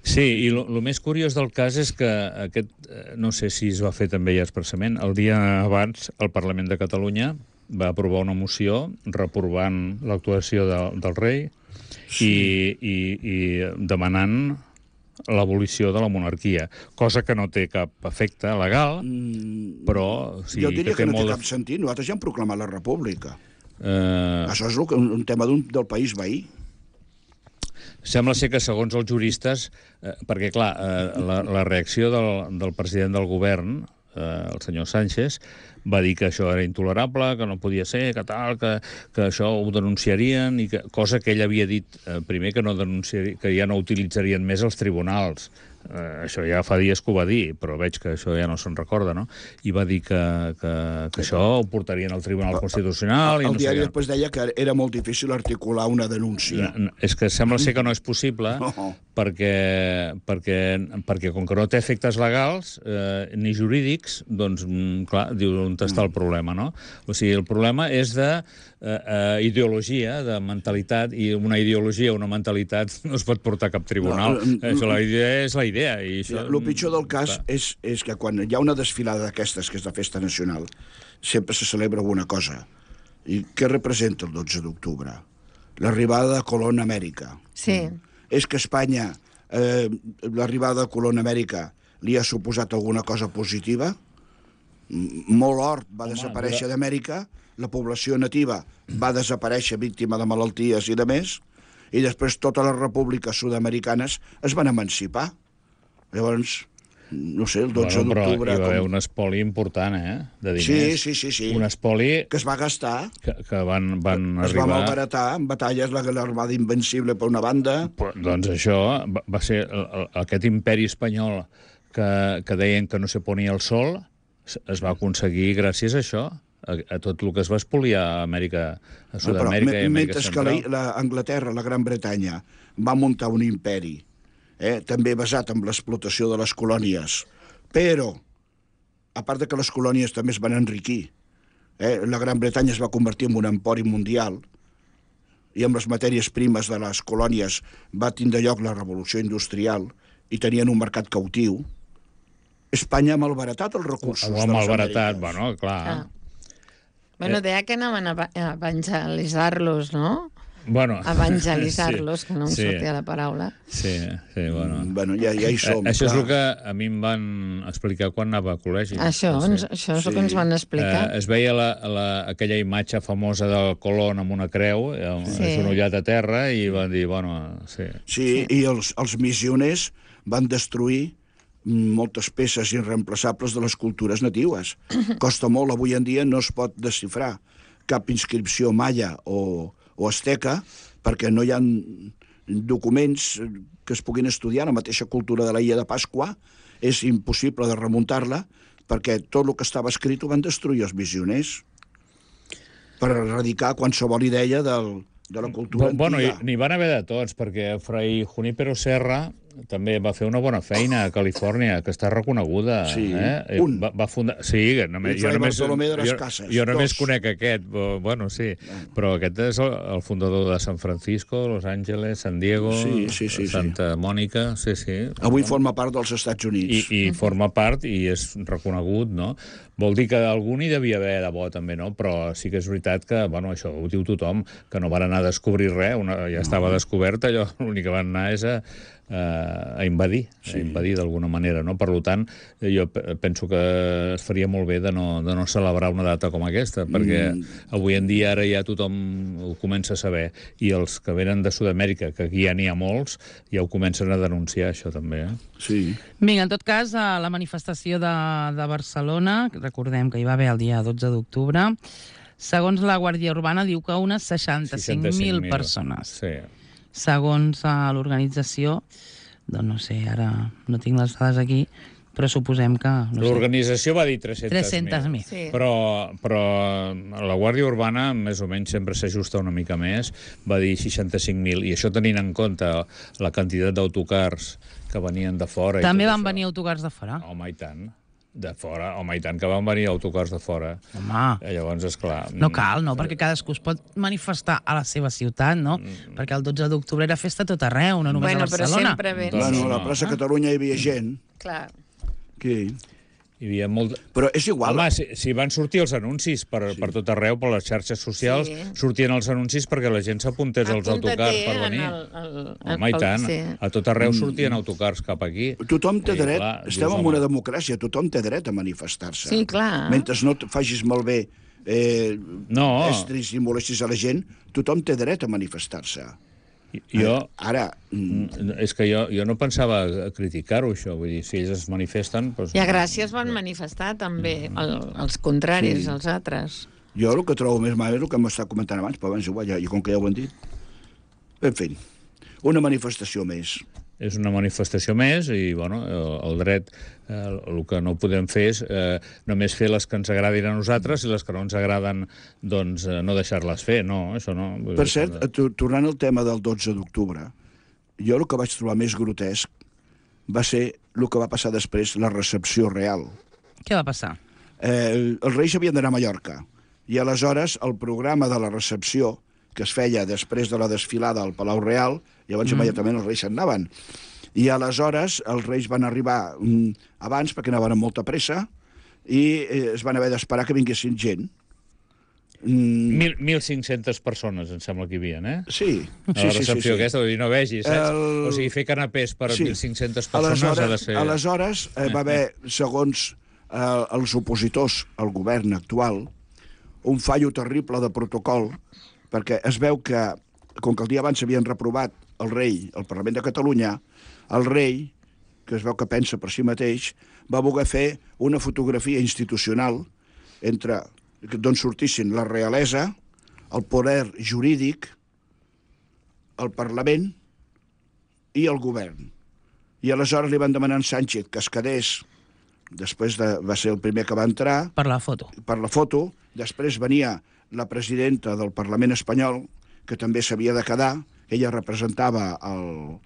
S4: Sí, i el més curiós del cas és que aquest, no sé si es va fer també ja expressament, el dia abans el Parlament de Catalunya va aprovar una moció reprovant l'actuació de, del rei sí. i, i, i demanant l'abolició de la monarquia, cosa que no té cap efecte legal, mm, però... Sí,
S5: jo diria
S4: que,
S5: que no té
S4: molt
S5: cap sentit. Nosaltres ja hem proclamat la república.
S4: Eh...
S5: Això és un, un tema un, del país veí.
S4: Sembla ser que, segons els juristes, eh, perquè, clar, eh, la, la reacció del, del president del govern, eh, el senyor Sánchez, va dir que això era intolerable, que no podia ser, que tal, que, que això ho denunciarien, i que, cosa que ell havia dit eh, primer que, no que ja no utilitzarien més els tribunals. Eh, això ja fa dies que ho va dir, però veig que això ja no se'n recorda, no? I va dir que, que, que això ho portarien al Tribunal Constitucional...
S5: El, el, el
S4: i no
S5: diari
S4: sé
S5: després deia que era molt difícil articular una denúncia.
S4: No, és que sembla ser que no és possible no. perquè, perquè, perquè com que no té efectes legals eh, ni jurídics, doncs, clar, diu on està el problema, no? O sigui, el problema és de eh, eh, ideologia, de mentalitat, i una ideologia, una mentalitat no es pot portar a cap tribunal. No, això, la idea és la idea. I això...
S5: El pitjor del cas és, és que quan hi ha una desfilada d'aquestes, que és la festa nacional, sempre se celebra alguna cosa. I què representa el dotze d'octubre? L'arribada de Colón a Amèrica.
S3: Sí.
S5: És que Espanya, eh, l'arribada de Colón a Amèrica, li ha suposat alguna cosa positiva? Molt hort va Home, desaparèixer dura... d'Amèrica, la població nativa va desaparèixer víctima de malalties i de més, i després totes les repúbliques sud-americanes es van emancipar. Llavors, no sé, el dotze
S4: bueno,
S5: d'octubre...
S4: Però hi va haver
S5: com...
S4: un espoli important, eh?, de diners.
S5: Sí, sí, sí, sí.
S4: Un espoli...
S5: Que es va gastar.
S4: Que, que van, van
S5: es
S4: arribar...
S5: va malbaratar en batalles, l'Armada Invencible per una banda...
S4: Però, doncs això va, va ser el, el, aquest imperi espanyol que, que deien que no se ponia el sol, es va aconseguir gràcies a això, a, a tot el que es va espoliar a Amèrica, a Sud-amèrica i Amèrica
S5: mentre
S4: Central.
S5: Mentre que la, la Anglaterra, la Gran Bretanya, va muntar un imperi, eh, també basat en l'explotació de les colònies, però, a part de que les colònies també es van enriquir, eh, la Gran Bretanya es va convertir en un empori mundial, i amb les matèries primes de les colònies va tindre lloc la revolució industrial, i tenien un mercat cautiu. Espanya ha malbaratat els recursos
S4: Ho
S5: de
S4: ha
S5: les
S4: malbaratat,
S5: Amèriques.
S4: bueno, clar...
S3: Ah. Bueno, deia que anaven a evangelitzar-los, no?
S4: Bueno,
S3: evangelitzar-los, sí, que no em
S4: sí,
S3: sortia la paraula.
S4: Sí, sí, bueno.
S5: Mm, bueno, ja, ja hi som.
S4: Eh, això
S5: clar.
S4: és el que a mi em van explicar quan anava a col·legi.
S3: Això,
S4: no sé.
S3: ens, això és el que ens van explicar.
S4: Eh, es veia la, la, aquella imatge famosa del Colón amb una creu, eh,
S3: Sí.
S4: genollat a terra, i van dir, bueno, sí.
S5: Sí, sí. I els, els missioners van destruir moltes peces irreemplaçables de les cultures natives. Costa molt, avui en dia no es pot desxifrar cap inscripció maia o, o asteca, perquè no hi ha documents que es puguin estudiar. La mateixa cultura de la Illa de Pasqua és impossible de remuntar-la, perquè tot el que estava escrit ho van destruir els missioners per erradicar qualsevol idea del, de la cultura
S4: Bueno,
S5: antiga.
S4: n'hi van haver de tots, perquè Fray Junípero Serra també va fer una bona feina a Califòrnia, que està reconeguda.
S5: Sí,
S4: eh?
S5: un.
S4: Va, va fundar... Sí, només,
S5: I Fray Bartolomé de les
S4: jo,
S5: Cases,
S4: jo només
S5: dos.
S4: conec aquest, bueno, sí, però aquest és el, el fundador de San Francisco, Los Ángeles, San Diego,
S5: Sí, sí, sí,
S4: Santa
S5: sí.
S4: Mònica, sí, sí.
S5: Avui forma part dels Estats
S4: I,
S5: Units.
S4: i forma part i és reconegut, no? Vol dir que algú n'hi devia haver de bo, també, no? Però sí que és veritat que, bueno, això ho diu tothom, que no van anar a descobrir res, una, ja estava descobert, allò, l'únic que van anar és a, a invadir, sí. a invadir d'alguna manera, no? Per tant, jo penso que es faria molt bé de no, de no celebrar una data com aquesta, perquè mm. avui en dia ara ja tothom ho comença a saber, i els que venen de Sud-amèrica, que aquí ja n'hi ha molts, ja ho comencen a denunciar, això també, eh?
S5: Sí.
S2: Vinga, en tot cas, a la manifestació de, de Barcelona, recordem que hi va haver el dia dotze d'octubre, segons la Guàrdia Urbana diu que unes seixanta-cinc mil persones.
S4: Sí.
S2: Segons uh, l'organització, doncs no sé, ara no tinc les dades aquí, però suposem que... No sé.
S4: L'organització va dir tres-centes mil.
S2: tres-centes mil.
S3: Sí.
S4: Però, però la Guàrdia Urbana més o menys sempre s'ajusta una mica més, va dir seixanta-cinc mil, i això tenint en compte la quantitat d'autocars que venien de fora.
S2: També
S4: i tot
S2: van
S4: això.
S2: venir autocars de fora?
S4: Home, i tant. De fora, home, i tant que van venir autocars de fora.
S2: Home,
S4: Eh, Llavors, esclar...
S2: no cal, no? Perquè cadascú es pot manifestar a la seva ciutat, no?
S4: Mm.
S2: Perquè el dotze d'octubre era festa a tot arreu, no només
S3: Bueno,
S2: a
S3: però
S2: Barcelona.
S3: sempre ve.
S4: Doncs
S5: Bueno, a la
S4: no.
S5: plaça Catalunya hi havia gent.
S3: Clar.
S5: Aquí.
S4: Hi havia molt...
S5: Però és igual.
S4: Home, si, si van sortir els anuncis per, sí. per tot arreu, per les xarxes socials,
S3: Sí.
S4: sortien els anuncis perquè la gent s'apuntés als autocars per venir.
S3: El, el,
S4: Home, i tant.
S3: Sí.
S4: A tot arreu sortien autocars cap aquí.
S5: Tothom té
S4: I,
S5: dret,
S4: clar,
S5: estem
S4: dius,
S5: en
S4: home,
S5: una democràcia, tothom té dret a manifestar-se.
S3: Sí, clar.
S5: Mentre no et facis malbé eh,
S4: No.
S5: estris i molestis a la gent, tothom té dret a manifestar-se.
S4: Jo...
S5: Ara, mm,
S4: És que jo, jo no pensava criticar-ho, això. Vull dir, si ells es manifesten... Doncs...
S3: I a Gràcia es van manifestar també el, els contraris,
S5: Sí.
S3: els altres.
S5: jo el que trobo més mal és el que m'està comentant abans, però abans igual, ja, i com que ja ho han dit. En fi, una manifestació més.
S4: És una manifestació més i, bueno, el, el dret, eh, el que no podem fer és eh, només fer les que ens agradin a nosaltres i les que no ens agraden, doncs, eh, no deixar-les fer, no, això no. Vull
S5: Per
S4: dir,
S5: cert, to- tornant al tema del dotze d'octubre, jo el que vaig trobar més grotesc va ser el que va passar després, la recepció real.
S2: Què va passar?
S5: Eh, els Reis havien d'anar a Mallorca, i aleshores el programa de la recepció, que es feia després de la desfilada al Palau Real, llavors mm. immediatament els Reis se'n anaven. I aleshores els Reis van arribar mm, abans, perquè anaven amb molta pressa, i eh, es van haver d'esperar que vinguessin gent. Mm,
S4: Mil, mil cinc-centes persones, em sembla que hi havia, eh?
S5: sí,
S4: A
S5: sí,
S4: la
S5: sí,
S4: recepció
S5: sí, sí.
S4: aquesta, vull dir, no vegis, saps?
S5: El-
S4: O sigui, fer canapés per
S5: Sí.
S4: mil cinc-centes persones
S5: Aleshores,
S4: ha de ser...
S5: aleshores eh, va haver, segons eh, els opositors al govern actual, un fallo terrible de protocol, perquè es veu que, com que el dia abans havien reprovat el rei al Parlament de Catalunya, el rei, que es veu que pensa per si mateix, va voler fer una fotografia institucional entre d'on sortissin la realesa, el poder jurídic, el Parlament i el govern. I aleshores li van demanar a Sánchez que es quedés, després de, va ser el primer que va entrar,
S2: Per la foto.
S5: per la foto, després venia la presidenta del Parlament espanyol, que també s'havia de quedar, ella representava el,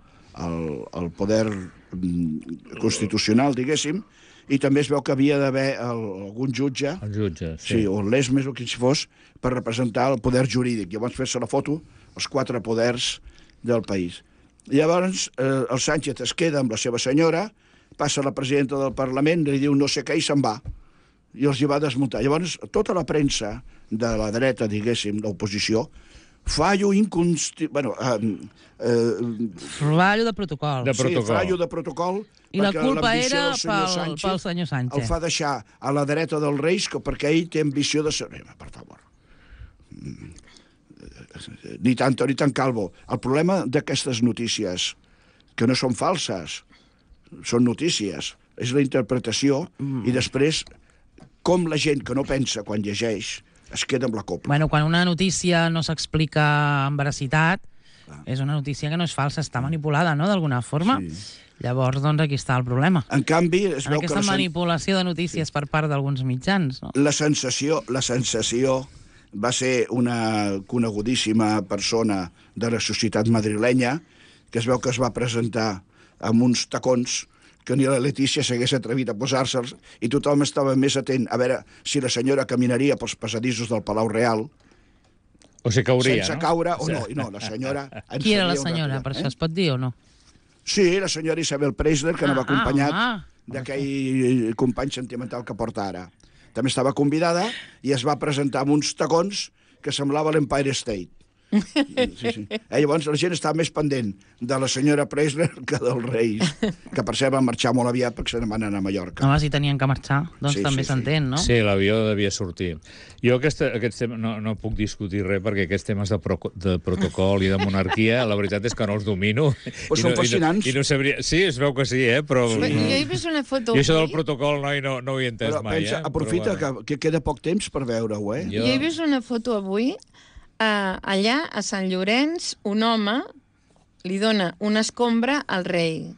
S5: el, el poder mm, constitucional, diguéssim, i també es veu que havia d'haver el- algun jutge,
S4: El jutge,
S5: sí,
S4: sí.
S5: o l'esmes o qui si fos, per representar el poder jurídic. Llavors fer-se la foto, els quatre poders del país. Llavors, eh, el Sánchez es queda amb la seva senyora, passa la presidenta del Parlament, li diu no sé què i se'n va. I els hi va desmuntar. Llavors, tota la premsa de la dreta, diguéssim, l'oposició, fallo inconsti... Bueno, eh, eh,
S2: Fallo de protocol.
S4: De
S5: sí,
S4: protocol.
S5: fallo de protocol.
S2: I la
S5: perquè
S2: culpa
S5: l'ambició
S2: era
S5: del senyor
S2: pel,
S5: Sánchez
S2: pel senyor Sánchez.
S5: el fa deixar a la dreta dels Reis que perquè ell té ambició de ser... Eh, Per favor. Mm. Ni tanto ni tan calvo. El problema d'aquestes notícies, que no són falses, són notícies, és la interpretació mm. i després com la gent que no pensa quan llegeix es queda amb la copla.
S2: Bueno, quan una notícia no s'explica amb veracitat, és una notícia que no és falsa, està manipulada, no?, d'alguna forma.
S5: Sí.
S2: Llavors, doncs, aquí està el problema.
S5: En canvi, es
S2: En
S5: veu que
S2: aquesta
S5: la, sen
S2: manipulació de notícies per part d'alguns mitjans, no?
S5: la sensació, la sensació va ser una conegudíssima persona de la societat madrilenya que es veu que es va presentar amb uns tacons que ni la Letícia s'hagués atrevit a posar-se'ls i tothom estava més atent a veure si la senyora caminaria pels passadissos del Palau Real
S4: O sigui, cauria,
S5: sense
S4: no?
S5: caure o no. I no, la senyora... ens
S2: Qui era la
S5: sabia un
S2: senyora?
S5: rato,
S2: Per
S5: eh?
S2: això es pot dir o no?
S5: Sí, la senyora Isabel Preisler, que anava
S2: Ah,
S5: acompanyat
S2: ah,
S5: d'aquell company sentimental que porta ara. També estava convidada i es va presentar amb uns tacons que semblava l'Empire State. Sí, sí. Eh, llavors la gent estava més pendent de la senyora Preisler que dels Reis, que per cert van marxar molt aviat perquè se'n van anar a Mallorca.
S2: Home, si tenien que marxar, doncs
S5: Sí,
S2: també
S5: sí, sí.
S2: s'entén, no?
S4: Sí, l'avió devia sortir. Jo aquest, aquest tema, no, no puc discutir res perquè aquests temes de, pro, de protocol i de monarquia, la veritat és que no els domino.
S5: Però
S4: I
S5: són
S4: no,
S5: fascinants.
S4: I no, i no sabria... Sí, es veu que sí, eh? Però...
S3: Jo he vist una foto...
S4: Jo això del
S3: avui.
S4: protocol, noi, no, no ho he entès
S5: Però
S4: mai,
S5: pensa,
S4: eh?
S5: aprofita
S4: Però, bueno.
S5: que, que queda poc temps per veure-ho, eh?
S4: Jo-
S3: Jo he vist una foto avui, uh, allà a Sant Llorenç, un home li dona una escombra al rei.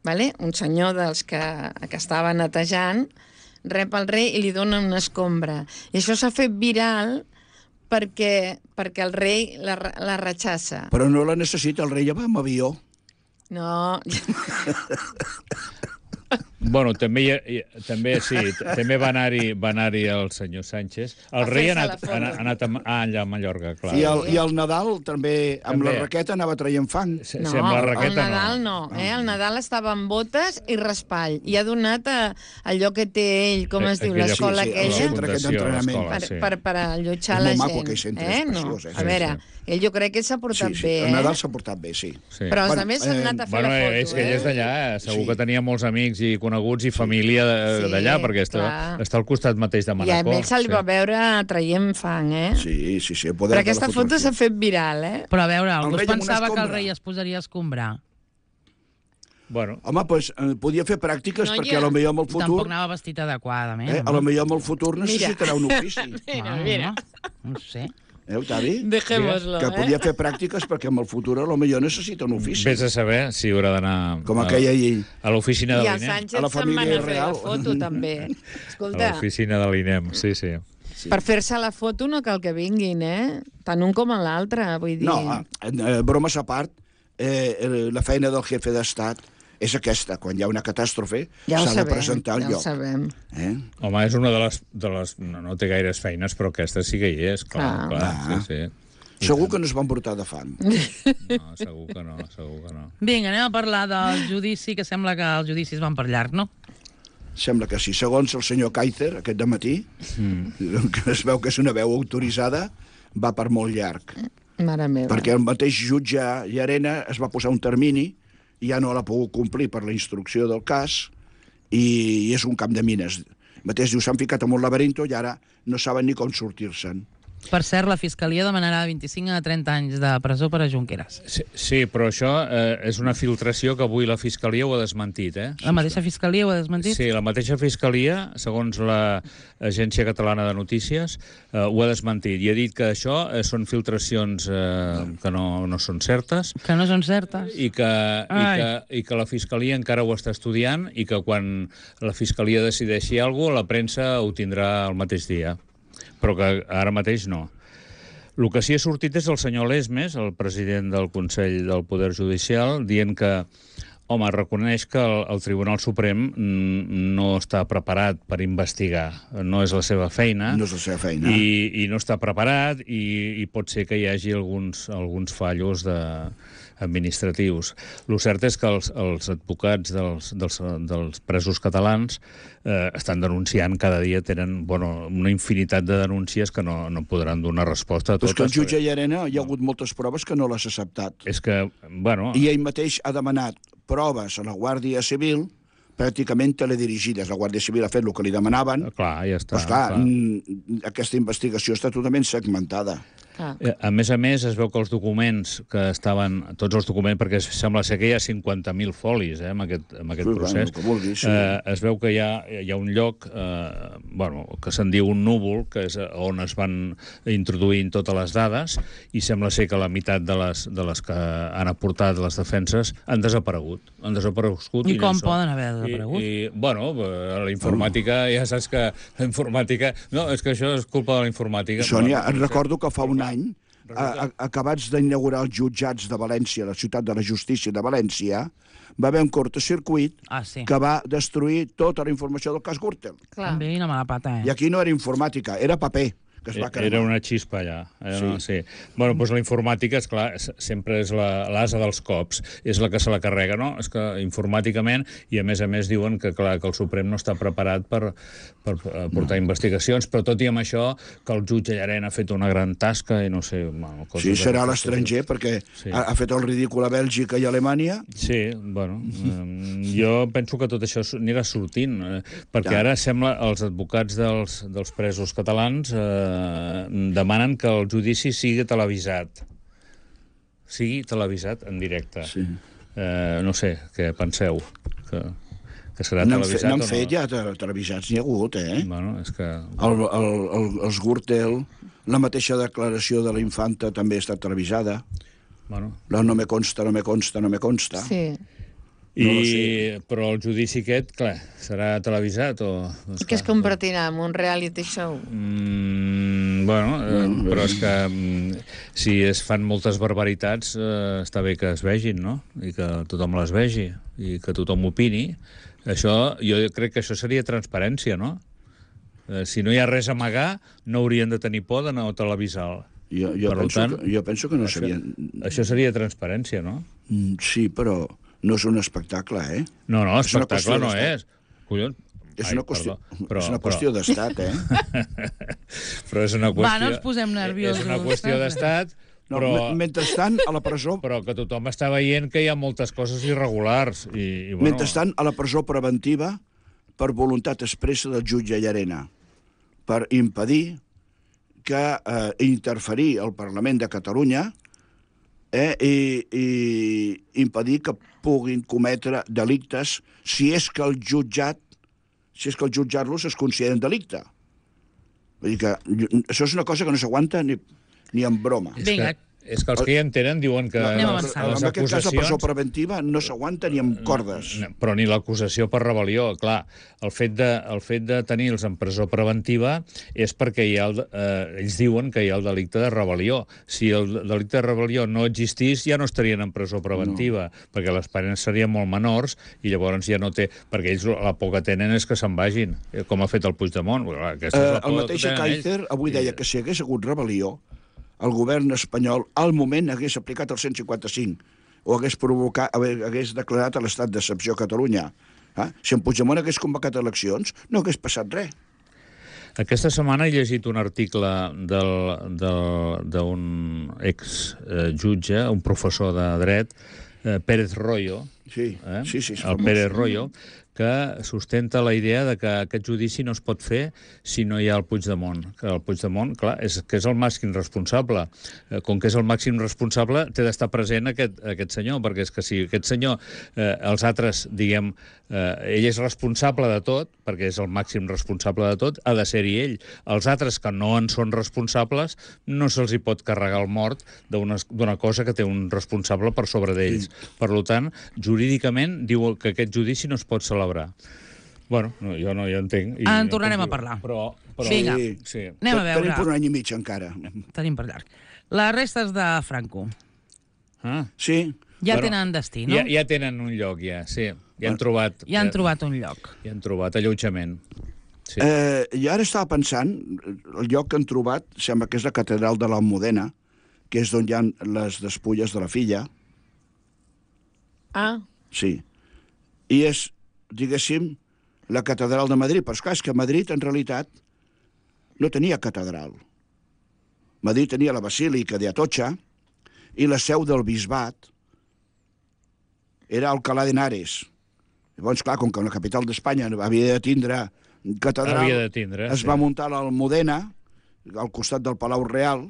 S3: vale? Un senyor dels que, que estava netejant, rep el rei i li dona una escombra. I això s'ha fet viral perquè, perquè el rei la, la rechaça.
S5: Però no la necessita, el rei ja va amb avió.
S3: No...
S4: Bueno, també, hi ha, hi ha- també sí, t- també va anar-hi va anar-hi el senyor Sánchez. El
S3: A
S4: rei ha
S3: fer-se
S4: anat,
S3: la foto.
S4: ha anat, ha anat a, ah, allà a Mallorca, clar.
S5: I el, I el Nadal també, amb
S4: També.
S5: la raqueta, anava traient fang.
S4: Se-
S3: No,
S4: sí, amb la
S3: el
S4: raqueta
S3: Nadal no. Eh? El Nadal estava amb botes i raspall. I ha donat a, allò que té ell, com es diu,
S4: Aquella-
S3: l'escola
S5: sí, sí, el
S3: aquella,
S5: centre aquest
S4: fundació,
S5: d'entrenament.
S4: l'escola,
S3: per,
S4: sí.
S3: per, per allotjar
S5: És
S3: la
S5: molt
S3: gent.
S5: maco, aquell centre,
S3: eh?
S5: és
S3: No.
S5: preciós, eh?
S3: A veure, ell jo crec que s'ha portat
S5: Sí, sí,
S3: bé,
S5: el Nadal
S3: eh?
S5: s'ha portat bé, sí.
S4: Sí.
S3: Però els
S5: Bueno,
S3: altres s'han
S5: eh,
S3: anat a fer
S4: Bueno,
S3: la foto,
S4: és que ell és
S3: eh?
S4: d'allà, segur
S5: Sí.
S4: que tenia molts amics i coneguts i família de-
S3: Sí,
S4: d'allà, perquè està,
S3: clar.
S4: està al costat mateix de
S3: I a
S4: Manacor.
S3: més se'l
S4: sí.
S3: va veure traient fang, eh?
S5: Sí, sí, sí. el poder
S3: Però
S5: de la
S3: aquesta foto
S5: fotografia.
S3: s'ha fet viral, eh?
S2: Però a veure, algú
S5: rei
S2: es
S5: amb una
S2: pensava que el
S5: escombra.
S2: rei es posaria a escombrar.
S4: Bueno,
S5: Home, doncs eh, podia fer pràctiques
S3: No,
S5: perquè
S3: ja.
S5: a lo millor amb el
S2: Tampoc
S5: futur,
S2: anava vestit adequadament.
S5: eh, a lo millor amb el futur necessitarà un ofici.
S3: Mira,
S2: Ah,
S3: mira.
S2: No, no sé.
S5: Eh, Octavi?
S3: Dejémoslo,
S5: Que
S3: eh?
S5: podia fer pràctiques perquè amb el futur a lo millor necessita un ofici.
S4: vés a saber si haurà d'anar
S5: Com
S4: a-
S5: aquella llei.
S4: a l'oficina de
S3: I el
S4: l'INEM.
S3: Sánchez
S5: A la
S3: se'n va
S5: família
S3: anar a fer la
S5: real.
S3: foto, també.
S4: A
S3: Escolta,
S4: l'oficina de l'INEM, sí, sí.
S3: per fer-se la foto no cal que vinguin, eh? Tant un com l'altre, vull dir...
S5: No, eh, eh, bromes a part, eh, eh, la feina del jefe d'estat és aquesta. Quan hi ha una catàstrofe,
S3: ja ho
S5: s'ha de
S3: sabem,
S5: presentar al
S3: ja ho
S5: lloc.
S3: sabem.
S5: Eh?
S4: Home, és una de les... De les no, no té gaires feines, però aquesta sí que hi és, clar,
S3: Clar.
S4: clar,
S5: Clar.
S4: sí, sí.
S5: Segur que no es van portar de fam.
S4: No, segur que no, segur que no.
S2: Vinga, anem a parlar del judici, que sembla que els judicis van per llarg, no?
S5: Sembla que sí. Segons el senyor Kaiser, aquest de matí, mm. que es veu que és una veu autoritzada, va per molt llarg.
S3: Mare meva.
S5: Perquè el mateix jutge Llarena es va posar un termini i ja no l'ha pogut complir per la instrucció del cas i, i és un camp de mines. El mateix diu, s'han ficat en un laberinto i ara no saben ni com sortir-se'n.
S2: Per cert, la Fiscalia demanarà vint-i-cinc a trenta anys de presó per a Junqueras.
S4: Sí, sí, però això eh, és una filtració que avui la Fiscalia ho ha desmentit, eh?
S2: La mateixa Fiscalia ho ha desmentit?
S4: Sí, la mateixa Fiscalia, segons l'Agència Catalana de Notícies, eh, ho ha desmentit i ha dit que això eh, són filtracions eh, que no, no són certes
S2: Que no són certes.
S4: i que, i,
S2: Ai.
S4: que, i que la Fiscalia encara ho està estudiant i que quan la Fiscalia decideixi alguna cosa, la premsa ho tindrà el mateix dia. Però que ara mateix no. El que sí ha sortit és el senyor Lesmes, el president del Consell del Poder Judicial, dient que, home, reconeix que el, el Tribunal Suprem mm, no està preparat per investigar. No és la seva feina.
S5: No és la seva feina.
S4: I, i no està preparat i, i pot ser que hi hagi alguns, alguns fallos de, administratius. El cert és que els, els advocats dels, dels, dels presos catalans eh, estan denunciant cada dia, tenen bueno, una infinitat de denúncies que no, no podran donar resposta a
S5: Però és
S4: totes.
S5: que el jutge Llarena hi ha hagut moltes proves que no les ha acceptat.
S4: És que, bueno...
S5: I ell mateix ha demanat proves a la Guàrdia Civil pràcticament teledirigides. La Guàrdia Civil ha fet el que li demanaven.
S4: Clar, ja està.
S5: Però, esclar,
S4: clar.
S5: mm, aquesta investigació està totalment segmentada.
S3: Clar.
S4: Eh, A més a més, es veu que els documents que estaven... Tots els documents, perquè sembla ser que hi ha cinquanta mil folis eh, amb aquest, amb aquest
S5: Sí,
S4: procés.
S5: bueno, el que vulguis, sí.
S4: eh, es veu que hi ha, hi ha un lloc eh, bueno, que se'n diu un núvol, que és on es van introduint totes les dades, i sembla ser que la meitat de les, de les que han aportat les defenses han desaparegut. Han desaparegut
S2: I
S4: no
S2: com
S4: hi són.
S2: poden haver desaparegut?
S4: I, i, bueno, eh, la informàtica, ja saps que la informàtica... No, és que això és culpa de la informàtica.
S5: Sònia,
S4: No,
S5: et
S4: no sé.
S5: recordo que fa un any, a, a, acabats d'inaugurar els jutjats de València, la ciutat de la justícia de València, va haver un cortocircuit
S2: Ah, sí.
S5: que va destruir tota la informació del cas Gürtel.
S3: Clar.
S2: També una mala pata, eh?
S5: I aquí no era informàtica, era paper que es va cremar.
S4: Era una xispa allà. Era,
S5: Sí.
S4: sí. sí. Bueno, doncs la informàtica, és clar, sempre és la- l'asa dels cops, és la que se la carrega, no? És que informàticament, i a més a més diuen que, clar, que el Suprem no està preparat per, per eh, portar no. investigacions, però tot i amb això, que el jutge Llarena ha fet una gran tasca i no sé... Bueno, coses
S5: Sí, serà a
S4: d'aquestes
S5: l'estranger,
S4: coses.
S5: perquè
S4: Sí.
S5: ha, ha fet el ridícul a Bèlgica i a Alemanya.
S4: Sí, bueno, eh, jo penso que tot això anirà sortint, eh, perquè
S5: Ja.
S4: ara sembla els advocats dels, dels presos catalans eh, demanen que el judici sigui televisat. Sigui televisat en directe.
S5: Sí.
S4: Eh, no sé, què penseu? Que, que serà
S5: N'han fe,
S4: televisat
S5: n'han
S4: o no?
S5: fet ja te- televisats, n'hi ha hagut, eh?
S4: Bueno, és que...
S5: El, el, el, els Gürtel, la mateixa declaració de la infanta també ha estat televisada.
S4: Bueno,
S5: La no me consta, no me consta, no me consta.
S3: Sí.
S4: I,
S5: No lo sé.
S4: però el judici aquest, clar, serà televisat o... Doncs,
S3: I que es
S4: clar,
S3: convertirà en un reality show.
S4: Mm, bueno, eh, però és que mm, si es fan moltes barbaritats eh, està bé que es vegin, no? I que tothom les vegi i que tothom opini. Això, jo crec que això seria transparència, no? Eh, si no hi ha res a amagar, no haurien de tenir por d'anar a televisar.
S5: Jo, jo,
S4: Per
S5: penso,
S4: tant,
S5: que, jo penso que no
S4: això,
S5: serien...
S4: Això seria transparència, no?
S5: Mm, Sí, però no és un espectacle, eh?
S4: No, no,
S5: És una qüestió
S4: espectacle no
S5: d'estat.
S4: és. Collons.
S5: És
S4: Ai,
S5: una qüestió,
S4: perdó, però,
S5: és una
S4: però-
S5: qüestió d'estat, eh?
S4: Però és una qüestió...
S2: Va, no ens posem nerviosos.
S4: És una qüestió d'estat,
S5: No,
S4: però,
S5: me- Mentrestant, a la presó...
S4: però que tothom està veient que hi ha moltes coses irregulars. I, i bueno,
S5: Mentrestant, a la presó preventiva, per voluntat expressa del jutge Llarena, per impedir que eh, interferir al Parlament de Catalunya eh, i, i impedir que puguin cometre delictes si és que el jutjat si és que el jutjar-los es consideren delicte. Vull dir que això és una cosa que no s'aguanta ni, ni en broma.
S4: és,
S2: Vinga.
S4: que, és que els que hi entenen diuen que
S2: Anem
S4: les,
S2: avançant.
S4: les
S5: En aquest cas, la presó
S4: acusacions...
S5: preventiva no s'aguanta ni amb cordes.
S4: No, però ni l'acusació per rebel·lió. Clar, el fet, de, el fet de tenir-los en presó preventiva és perquè hi ha el, eh, ells diuen que hi ha el delicte de rebel·lió. Si el delicte de rebel·lió no existís, ja no estarien en presó preventiva, no. perquè les penes serien molt menors i llavors ja no té... Perquè ells la por que tenen és que se'n vagin, eh, com ha fet el Puigdemont. Clar, aquesta és
S5: Eh,
S4: la
S5: el
S4: por
S5: mateix
S4: que tenen ells.
S5: Kaiser avui deia que si hagués hagut rebel·lió, el govern espanyol al moment hagués aplicat el cent cinquanta-cinc o hagués, provocat, hagués declarat l'estat d'excepció a Catalunya. Eh? Si en Puigdemont hagués convocat eleccions, no hagués passat res.
S4: Aquesta setmana he llegit un article del- del- d'un ex-jutge, un professor de dret, eh, Pérez Royo,
S5: Sí,
S4: eh?
S5: sí, sí. és
S4: el
S5: famós.
S4: Pérez Royo, que sustenta la idea de que aquest judici no es pot fer si no hi ha el Puigdemont. Que el Puigdemont, clar, és, que és el màxim responsable. Eh, com que és el màxim responsable, té d'estar present aquest, aquest senyor, perquè és que si aquest senyor, eh, els altres, diguem, eh, ell és responsable de tot, perquè és el màxim responsable de tot, ha de ser-hi ell. Els altres que no en són responsables, no se'ls hi pot carregar el mort d'una d'una cosa que té un responsable per sobre d'ells. Sí. Per tant, jurídicament, diu que aquest judici no es pot celebrar. Bueno, no, jo no hi entenc. I
S2: En
S4: no
S2: tornarem
S4: puc
S2: a
S4: dir.
S2: parlar.
S4: Però, però,
S2: Vinga.
S5: Sí.
S4: Sí.
S2: Anem a
S5: Tenim per
S2: veure.
S5: un any i mig encara.
S2: Tenim per llarg. Les restes de Franco.
S4: Ah,
S5: Sí.
S2: Ja
S4: Bueno,
S2: tenen destí, no?
S4: ja, ja tenen un lloc, ja, sí. Ja han trobat...
S2: Ja han trobat un lloc.
S4: Ja han trobat allotjament. Sí.
S5: Eh, jo ara estava pensant, el lloc que han trobat sembla que és la catedral de l'Almudena, que és on hi ha les despulles de la filla.
S3: Ah,
S5: Sí. I és, diguéssim, la catedral de Madrid. Però esclar, és que Madrid, en realitat, no tenia catedral. Madrid tenia la Basílica de Atocha i la seu del bisbat era Alcalá de Henares. Llavors, clar, com que la capital d'Espanya havia de tindre catedral,
S4: Havia de tindre,
S5: es
S4: sí.
S5: va muntar l'Almudena, al costat del Palau Real,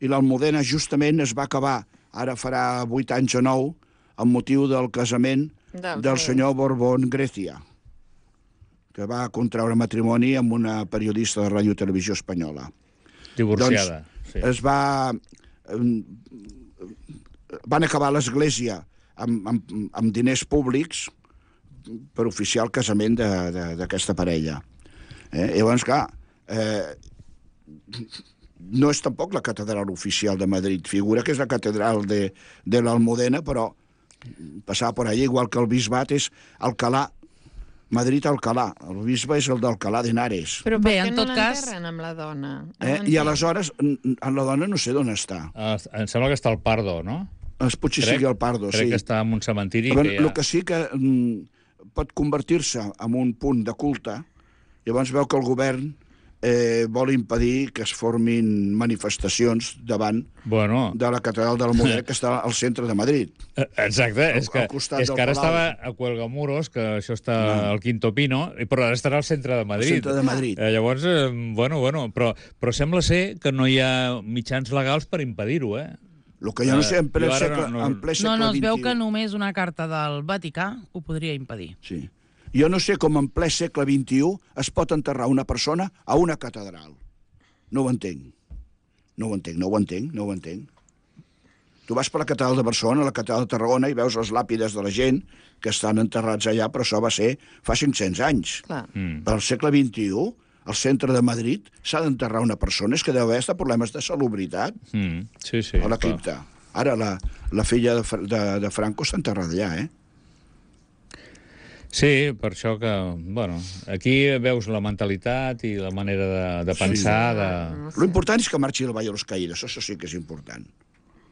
S5: i l'Almudena justament es va acabar, ara farà vuit anys o nou, amb motiu del casament
S3: Del
S5: del
S3: rei.
S5: senyor Borbón Grecia, que va contraure matrimoni amb una periodista de Ràdio i Televisió Espanyola.
S4: Divorciada.
S5: Doncs
S4: sí.
S5: es va... eh, Van acabar l'església amb, amb, amb diners públics per oficiar el casament de- de- d'aquesta parella. Eh? Llavors, clar, eh, no és tampoc la catedral oficial de Madrid. Figura que és la catedral de, de l'Almudena, però passava per allà, igual que el bisbat és Alcalá, Madrid-Alcalá. El bisbe és el d'Alcalá de Henares.
S3: però per
S2: Bé,
S3: què
S2: en
S3: no
S2: tot cas-
S3: l'enterren amb la dona? No
S5: Eh? I
S3: entenc.
S5: aleshores, n- n- la dona no sé d'on està.
S4: Ah, em sembla que està al Pardo, no?
S5: Es potser sigui el Pardo,
S4: crec
S5: sí.
S4: que està en un cementiri
S5: Però
S4: que hi
S5: el
S4: ha...
S5: que sí que mm, pot convertir-se en un punt de culte, llavors veu que el govern eh, vol impedir que es formin manifestacions davant
S4: Bueno,
S5: de la catedral de l'Almudena, que està al centre de Madrid.
S4: eh, exacte, és que,
S5: al costat
S4: és
S5: del
S4: que ara
S5: Palau.
S4: estava a Cuelgamuros, que això està al Quinto Pino, i- però ara estarà al centre de
S5: Al
S4: Madrid.
S5: centre de Madrid.
S4: Eh, llavors, eh, bueno, bueno, però, però sembla ser que no hi ha mitjans legals per impedir-ho, eh?
S5: El que jo no sé, en ple
S4: Jo ara
S5: segle,
S4: no- no-
S5: en ple
S2: No,
S5: segle
S2: no, es veu que
S5: vint i u...
S2: només una carta del Vaticà ho podria impedir.
S5: Sí. Jo no sé com en ple segle vint i u es pot enterrar una persona a una catedral. No ho entenc. No ho entenc, no ho entenc, no ho entenc. Tu vas per la catedral de Barcelona, la catedral de Tarragona, i veus les làpides de la gent que estan enterrats allà, però això va ser fa cinc-cents anys.
S3: Clar.
S4: Mm.
S5: Per al segle vint-i-u, al centre de Madrid, s'ha d'enterrar una persona, és que deu haver problemes de salubritat
S4: Mm. Sí, sí.
S5: a la
S4: clar.
S5: cripta. Ara la, la filla de, Fra- de, de Franco està enterrada allà, eh?
S4: Sí, per això que, bueno, aquí veus la mentalitat i la manera de, de pensar, de...
S5: Lo important és que marxi el Valle de los Caídos, això sí que és important.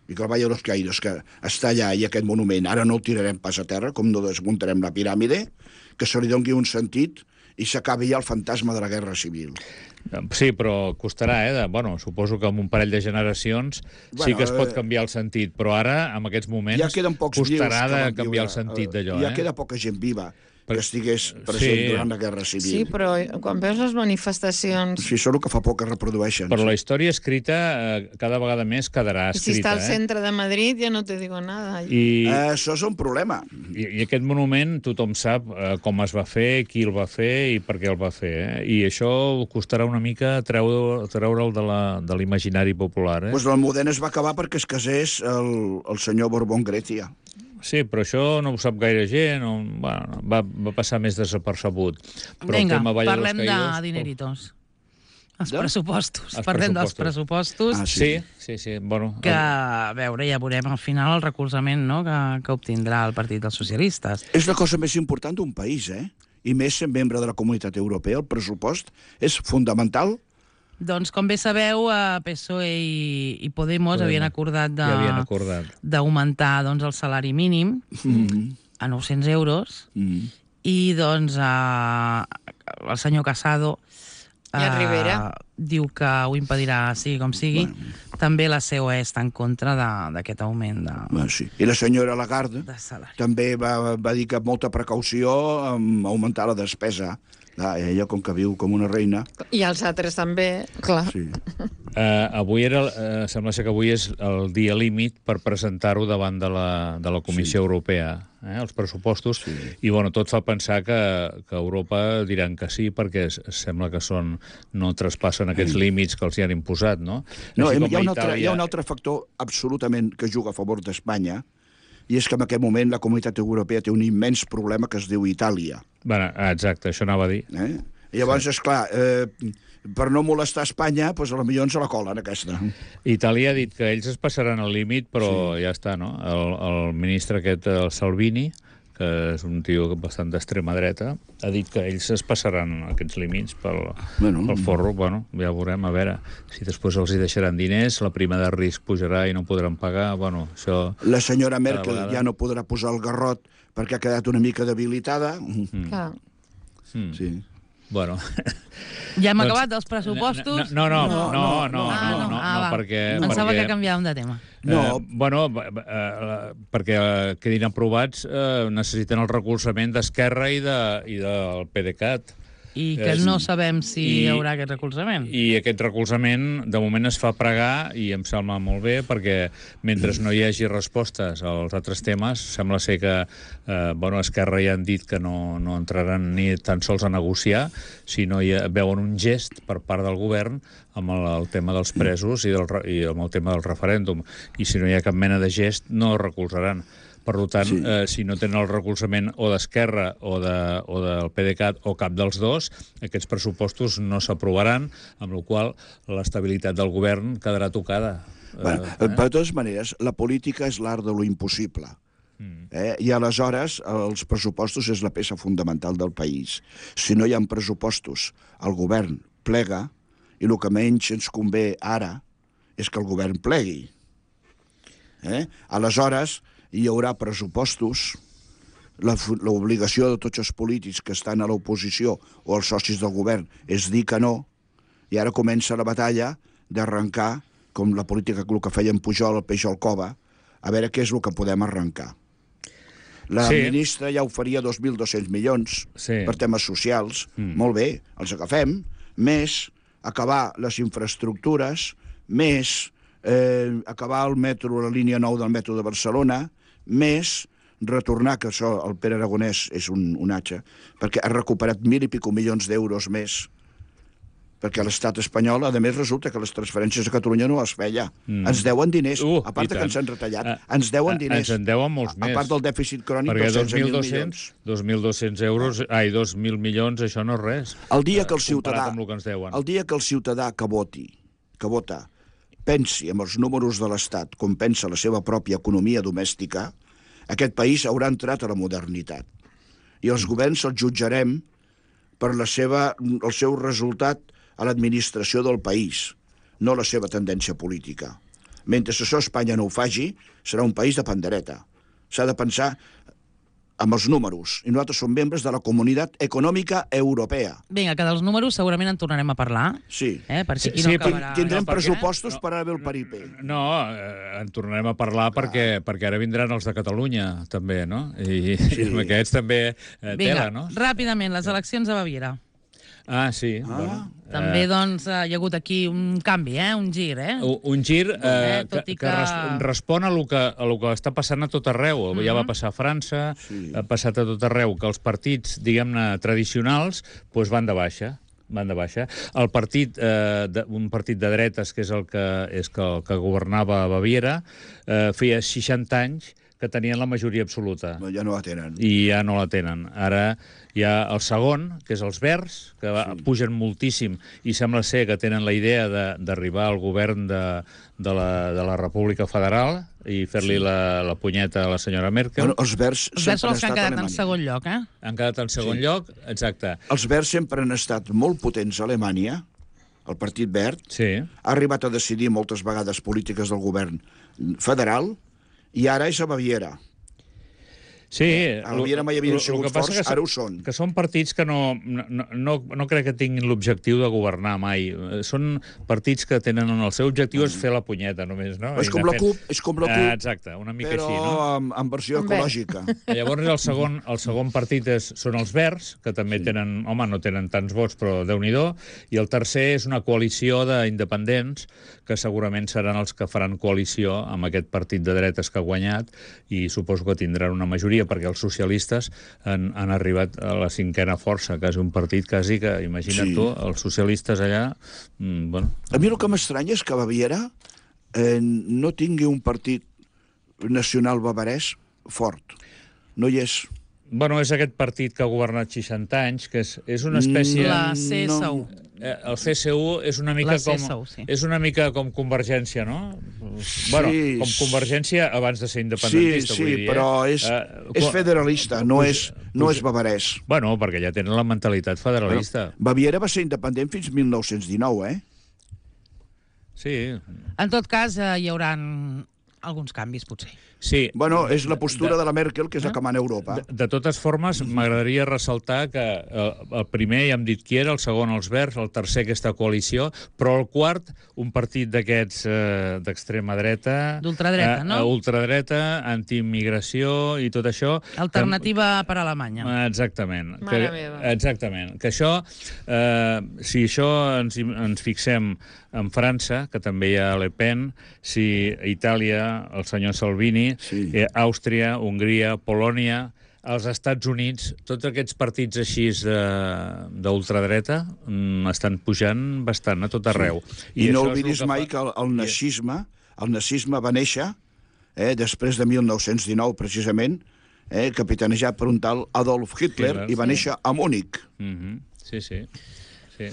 S5: I que el Valle de los Caídos, que està allà, i aquest monument, ara no el tirarem pas a terra, com no desmuntarem la piràmide, que se li doni un sentit i s'acabi ja el fantasma de la guerra civil.
S4: Sí, però costarà, eh? De, bueno, suposo que en un parell de generacions
S5: Bueno,
S4: sí que es pot
S5: eh,
S4: canviar el sentit, però ara, en aquests moments,
S5: Ja queden pocs vius
S4: costarà
S5: que
S4: de
S5: van
S4: canviar
S5: viure,
S4: el sentit
S5: eh,
S4: d'allò,
S5: Ja
S4: eh?
S5: queda poca gent viva que
S4: Per-
S5: estigués present
S4: Sí.
S5: durant la guerra civil.
S3: Sí, però quan veus les manifestacions...
S5: Sí, això és el que fa por que reprodueixen.
S4: Però
S5: sí.
S4: la història escrita eh, cada vegada més quedarà
S3: I si està
S4: escrita,
S3: al
S4: eh?
S3: centre de Madrid, ja no te digo nada.
S4: I,
S5: Eh, això és un problema.
S4: i, I aquest monument tothom sap eh, com es va fer, qui el va fer i per què el va fer, eh? I això costarà una mica treure, treure'l de la- de l'imaginari popular, eh?
S5: Pues l'Almudena es va acabar perquè es casés el, el senyor Borbón Grecia.
S4: Sí, però això no ho sap gaire gent, o, bueno, va, va passar més desapercebut. Però el
S2: Vinga,
S4: tema Valle de los
S2: parlem de
S4: Caídos,
S2: dineritos. Els
S5: De?
S2: pressupostos.
S4: Els
S2: Parlem dels
S4: pressupostos.
S2: pressupostos.
S5: Ah,
S4: Sí, sí, sí. Bueno,
S2: Que, a veure, ja veurem al final el recolzament, no?, que, que obtindrà el Partit dels Socialistes.
S5: És la cosa més important d'un país, eh? I més sent membre de la Comunitat Europea, el pressupost és fundamental.
S2: Doncs, com bé sabeu, eh, P S O E i, i Podemos,
S4: Podemos.
S2: havien acordat de-
S4: ja havien acordat.
S2: d'augmentar doncs, el salari mínim
S5: Mm.
S2: a nou-cents euros
S5: Mm.
S2: i doncs eh, el senyor Casado
S3: I el Rivera.
S2: diu que ho impedirà, sigui com sigui. També la C O E està en contra de- d'aquest augment de,
S5: Bueno, sí. I la senyora Lagarde
S2: de salari.
S5: també va, va dir que amb molta precaució amb augmentar la despesa. Ah, ella, com que viu com una reina...
S3: I els altres també, clar.
S5: Sí.
S4: Uh, avui era, uh, sembla ser que avui és el dia límit per presentar-ho davant de la, de la Comissió
S5: Sí.
S4: Europea, eh, els pressupostos,
S5: Sí.
S4: i bueno, tot fa pensar que, que Europa diran que sí, perquè es, sembla que són, no traspassen aquests
S5: Sí.
S4: límits que els hi han imposat, no?
S5: No,
S4: Així
S5: hi
S4: com
S5: ha,
S4: a
S5: un altre,
S4: Itàlia-
S5: hi ha un altre factor absolutament que juga a favor d'Espanya, i és que en aquest moment la Comunitat Europea té un immens problema que es diu Itàlia.
S4: Bueno, exacte, això anava a dir.
S5: Eh? I llavors, sí. esclar, eh, per no molestar Espanya, doncs a la millor ens la colen, aquesta.
S4: Itàlia ha dit que ells es passaran el límit, però sí. ja està, no? El, el ministre aquest, el Salvini, que és un tio bastant d'extrema dreta, ha dit que ells es passaran aquests límits pel,
S5: Bueno.
S4: pel forro. Bueno, ja veurem, a veure si després els hi deixaran diners, la prima de risc pujarà i no podran pagar. Bueno, això...
S5: La senyora Merkel
S4: vegada.
S5: ja no podrà posar el garrot perquè ha quedat una mica debilitada.
S4: Mm.
S3: clar.
S4: Mm.
S5: Sí.
S4: Bueno...
S2: Ja hem
S4: Doncs-
S2: acabat els pressupostos?
S4: No, no, no,
S5: No,
S4: no, no, no,
S2: Ah,
S4: no,
S2: no.
S4: no,
S2: Ah,
S4: no,
S2: va.
S4: perquè...
S2: Pensava
S4: perquè...
S2: que canviàvem de tema.
S5: No.
S4: Eh, bueno, eh, eh, perquè eh, quedin aprovats eh, necessiten el recolzament d'Esquerra i, de, i del PDeCAT.
S2: I que
S4: És-
S2: no sabem si
S4: i-
S2: hi haurà aquest recolzament.
S4: I aquest recolzament, de moment, es fa pregar, i em sembla molt bé, perquè mentre no hi hagi respostes als altres temes, sembla ser que eh, bueno, Esquerra ja han dit que no, no entraran ni tan sols a negociar, sinó ja veuen un gest per part del govern amb el, el tema dels presos i, del, re- i amb el tema del referèndum. I si no hi ha cap mena de gest, no recolzaran. Per tant,
S5: Sí.
S4: sí. eh, si no tenen el recolzament o d'Esquerra o, de, o del PDeCAT o cap dels dos, aquests pressupostos no s'aprovaran, amb la qual cosa l'estabilitat del govern quedarà tocada.
S5: Bueno,
S4: Eh,
S5: de totes maneres, la política és l'art de lo impossible.
S4: Mm.
S5: Eh? I aleshores els pressupostos és la peça fonamental del país. Si no hi ha pressupostos, el govern plega, i el que menys ens convé ara és que el govern plegui. Eh? Aleshores, hi haurà pressupostos, la fu- l'obligació de tots els polítics que estan a l'oposició o els socis del govern és dir que no, i ara comença la batalla d'arrencar, com la política el que feien Pujol, el Peixol Cova, a veure què és el que podem arrencar. La
S4: Sí.
S5: ministra ja oferia dos mil dos-cents milions
S4: Sí.
S5: per temes socials.
S4: Mm.
S5: Molt bé, els agafem. Més acabar les infraestructures, més eh, acabar el metro, la línia nou del metro de Barcelona, més retornar, que això el Pere Aragonès és un, un atxa, perquè ha recuperat mil i pico milions d'euros més perquè l'estat espanyol, a més, resulta que les transferències a Catalunya no les feia. Mm. Ens deuen diners,
S4: Uh,
S5: a part
S4: i
S5: que
S4: tant.
S5: ens han retallat,
S4: Ah,
S5: ens deuen
S4: ah,
S5: diners.
S4: ens en deuen molts
S5: a, a
S4: més.
S5: part del dèficit crònic
S4: Perquè
S5: dels
S4: dos
S5: setze
S4: mil
S5: mil
S4: dos-cents
S5: milions.
S4: dos mil dos-cents euros, ai, dos mil milions, això no és res.
S5: El dia que el
S4: eh,
S5: ciutadà,
S4: comparat amb el que ens deuen.
S5: el dia que el ciutadà que voti, que vota, pensi amb els números de l'Estat com pensa la seva pròpia economia domèstica, aquest país haurà entrat a la modernitat. I els governs els jutjarem per la seva, el seu resultat a l'administració del país, no la seva tendència política. Mentre això Espanya no ho faci, serà un país de pandereta. S'ha de pensar amb els números. I nosaltres som membres de la Comunitat Econòmica Europea.
S2: Vinga, que dels números segurament en tornarem a parlar,
S5: Sí.
S2: eh? Perquè aquí
S4: Sí,
S2: no
S4: sí,
S2: acabarà...
S5: Tindrem
S4: no, perquè-
S5: pressupostos
S4: no,
S5: per anar a veure el paripé.
S4: No, eh, en tornarem a parlar perquè, perquè ara vindran els de Catalunya, també, no? I, sí. i amb aquests també eh,
S2: Vinga,
S4: tela, no?
S2: ràpidament, les eleccions a Baviera.
S4: Ah, sí. Ah. Bueno,
S2: També,
S4: eh,
S2: doncs, hi ha hagut aquí un canvi, eh? Un gir, eh?
S4: Un un gir eh,
S2: Eh,
S4: que,
S2: tot i
S4: que
S2: que-
S4: res, respon a lo que, a lo que està passant a tot arreu. Mm -hmm. Ja va passar a França,
S5: Sí.
S4: ha passat a tot arreu, que els partits, diguem-ne, tradicionals, doncs van de baixa. Van de baixa. El partit, eh, de, un partit de dretes, que és el que, és que, el que governava a Baviera, eh, feia seixanta anys que tenien la majoria absoluta.
S5: No, ja no la tenen.
S4: I ja no la tenen. Ara hi ha el segon, que és els Verds, que va, sí. pugen moltíssim i sembla ser que tenen la idea de- d'arribar al govern de, de, la, de la República Federal i fer-li sí. la, la punyeta a la senyora Merkel.
S5: Bueno, els verds
S2: Els verds són
S5: sempre han
S2: els que han
S5: estat a
S2: quedat en
S5: Alemanya.
S2: segon lloc, eh?
S4: Han quedat en segon
S5: Sí.
S4: lloc, exacte.
S5: Els verds sempre han estat molt potents a Alemanya. El Partit Verd
S4: Sí.
S5: ha arribat a decidir moltes vegades polítiques del govern federal i ara és a Baviera.
S4: Sí,
S5: A Baviera mai havien
S4: lo- lo
S5: sigut
S4: que passa
S5: forts,
S4: que
S5: ara ho són.
S4: Que són partits que no, no, no, no crec que tinguin l'objectiu de governar mai. Eh, Són partits que tenen el seu objectiu és fer la punyeta, només, no?
S5: És
S4: I
S5: com
S4: anar
S5: la
S4: fent-
S5: CUP, és com la
S4: Ah,
S5: CUP,
S4: exacte, una mica
S5: però
S4: així, no?
S5: amb, amb versió
S3: Amb verd.
S5: ecològica.
S4: Llavors el segon, el segon partit és, són els Verds, que també sí. tenen, home, no tenen tants vots, però Déu-n'hi-do, i el tercer és una coalició d'independents, que segurament seran els que faran coalició amb aquest partit de dretes que ha guanyat, i suposo que tindran una majoria, perquè els socialistes han, han arribat a la cinquena força, quasi un partit quasi que, imagina't
S5: Sí.
S4: tu, els socialistes allà, mm, bueno...
S5: A mi el que m'estranya és que Baviera eh, no tingui un partit nacional bavarès fort. No hi és.
S4: Bueno, és aquest partit que ha governat seixanta anys, que és, és una espècie...
S2: La C S U.
S4: Eh, el C S U és una mica
S2: La C S U,
S4: com
S2: sí.
S4: és una mica com Convergència, no? Bueno,
S5: Sí,
S4: com Convergència abans de ser
S5: Sí,
S4: independentista,
S5: sí,
S4: vull dir.
S5: però
S4: eh?
S5: és,
S4: Eh,
S5: és
S4: co-
S5: federalista, no
S4: puja-
S5: és, no
S4: puja-
S5: és bavarès.
S4: Bueno, perquè ja tenen la mentalitat federalista.
S5: Baviera va ser independent fins mil nou-cents dinou, eh?
S4: Sí,
S2: En tot cas, eh, hi haurà alguns canvis, potser.
S4: sí.
S5: Bueno, és la postura de la Merkel, que és la que mana a Europa.
S4: De, de totes formes, m'agradaria ressaltar que eh, el primer ja hem dit qui era, el segon els Verds, el tercer aquesta coalició, però el quart, un partit d'aquests eh, d'extrema dreta...
S2: D'ultradreta, no?
S4: Eh, ultradreta, antiimmigració i tot això...
S2: Alternativa per a Alemanya.
S4: Que, exactament.
S3: Mare
S4: que,
S3: meva.
S4: Exactament. Que això, eh, si això ens, ens fixem en França, que també hi ha Le Pen, si a Itàlia, el senyor Salvini,
S5: Sí.
S4: eh, Àustria, Hongria, Polònia, als Estats Units, tots aquests partits així de- d'ultradreta mm, estan pujant bastant a tot arreu.
S5: I, no
S4: això és
S5: oblidis
S4: el que
S5: mai
S4: fa-
S5: que el, el nazisme, el nazisme va néixer eh, després de mil nou-cents dinou, precisament, eh, capitanejat per un tal Adolf Hitler,
S4: Hitler,
S5: i va
S4: sí.
S5: néixer a Múnich.
S4: Mhm. Sí, sí. sí.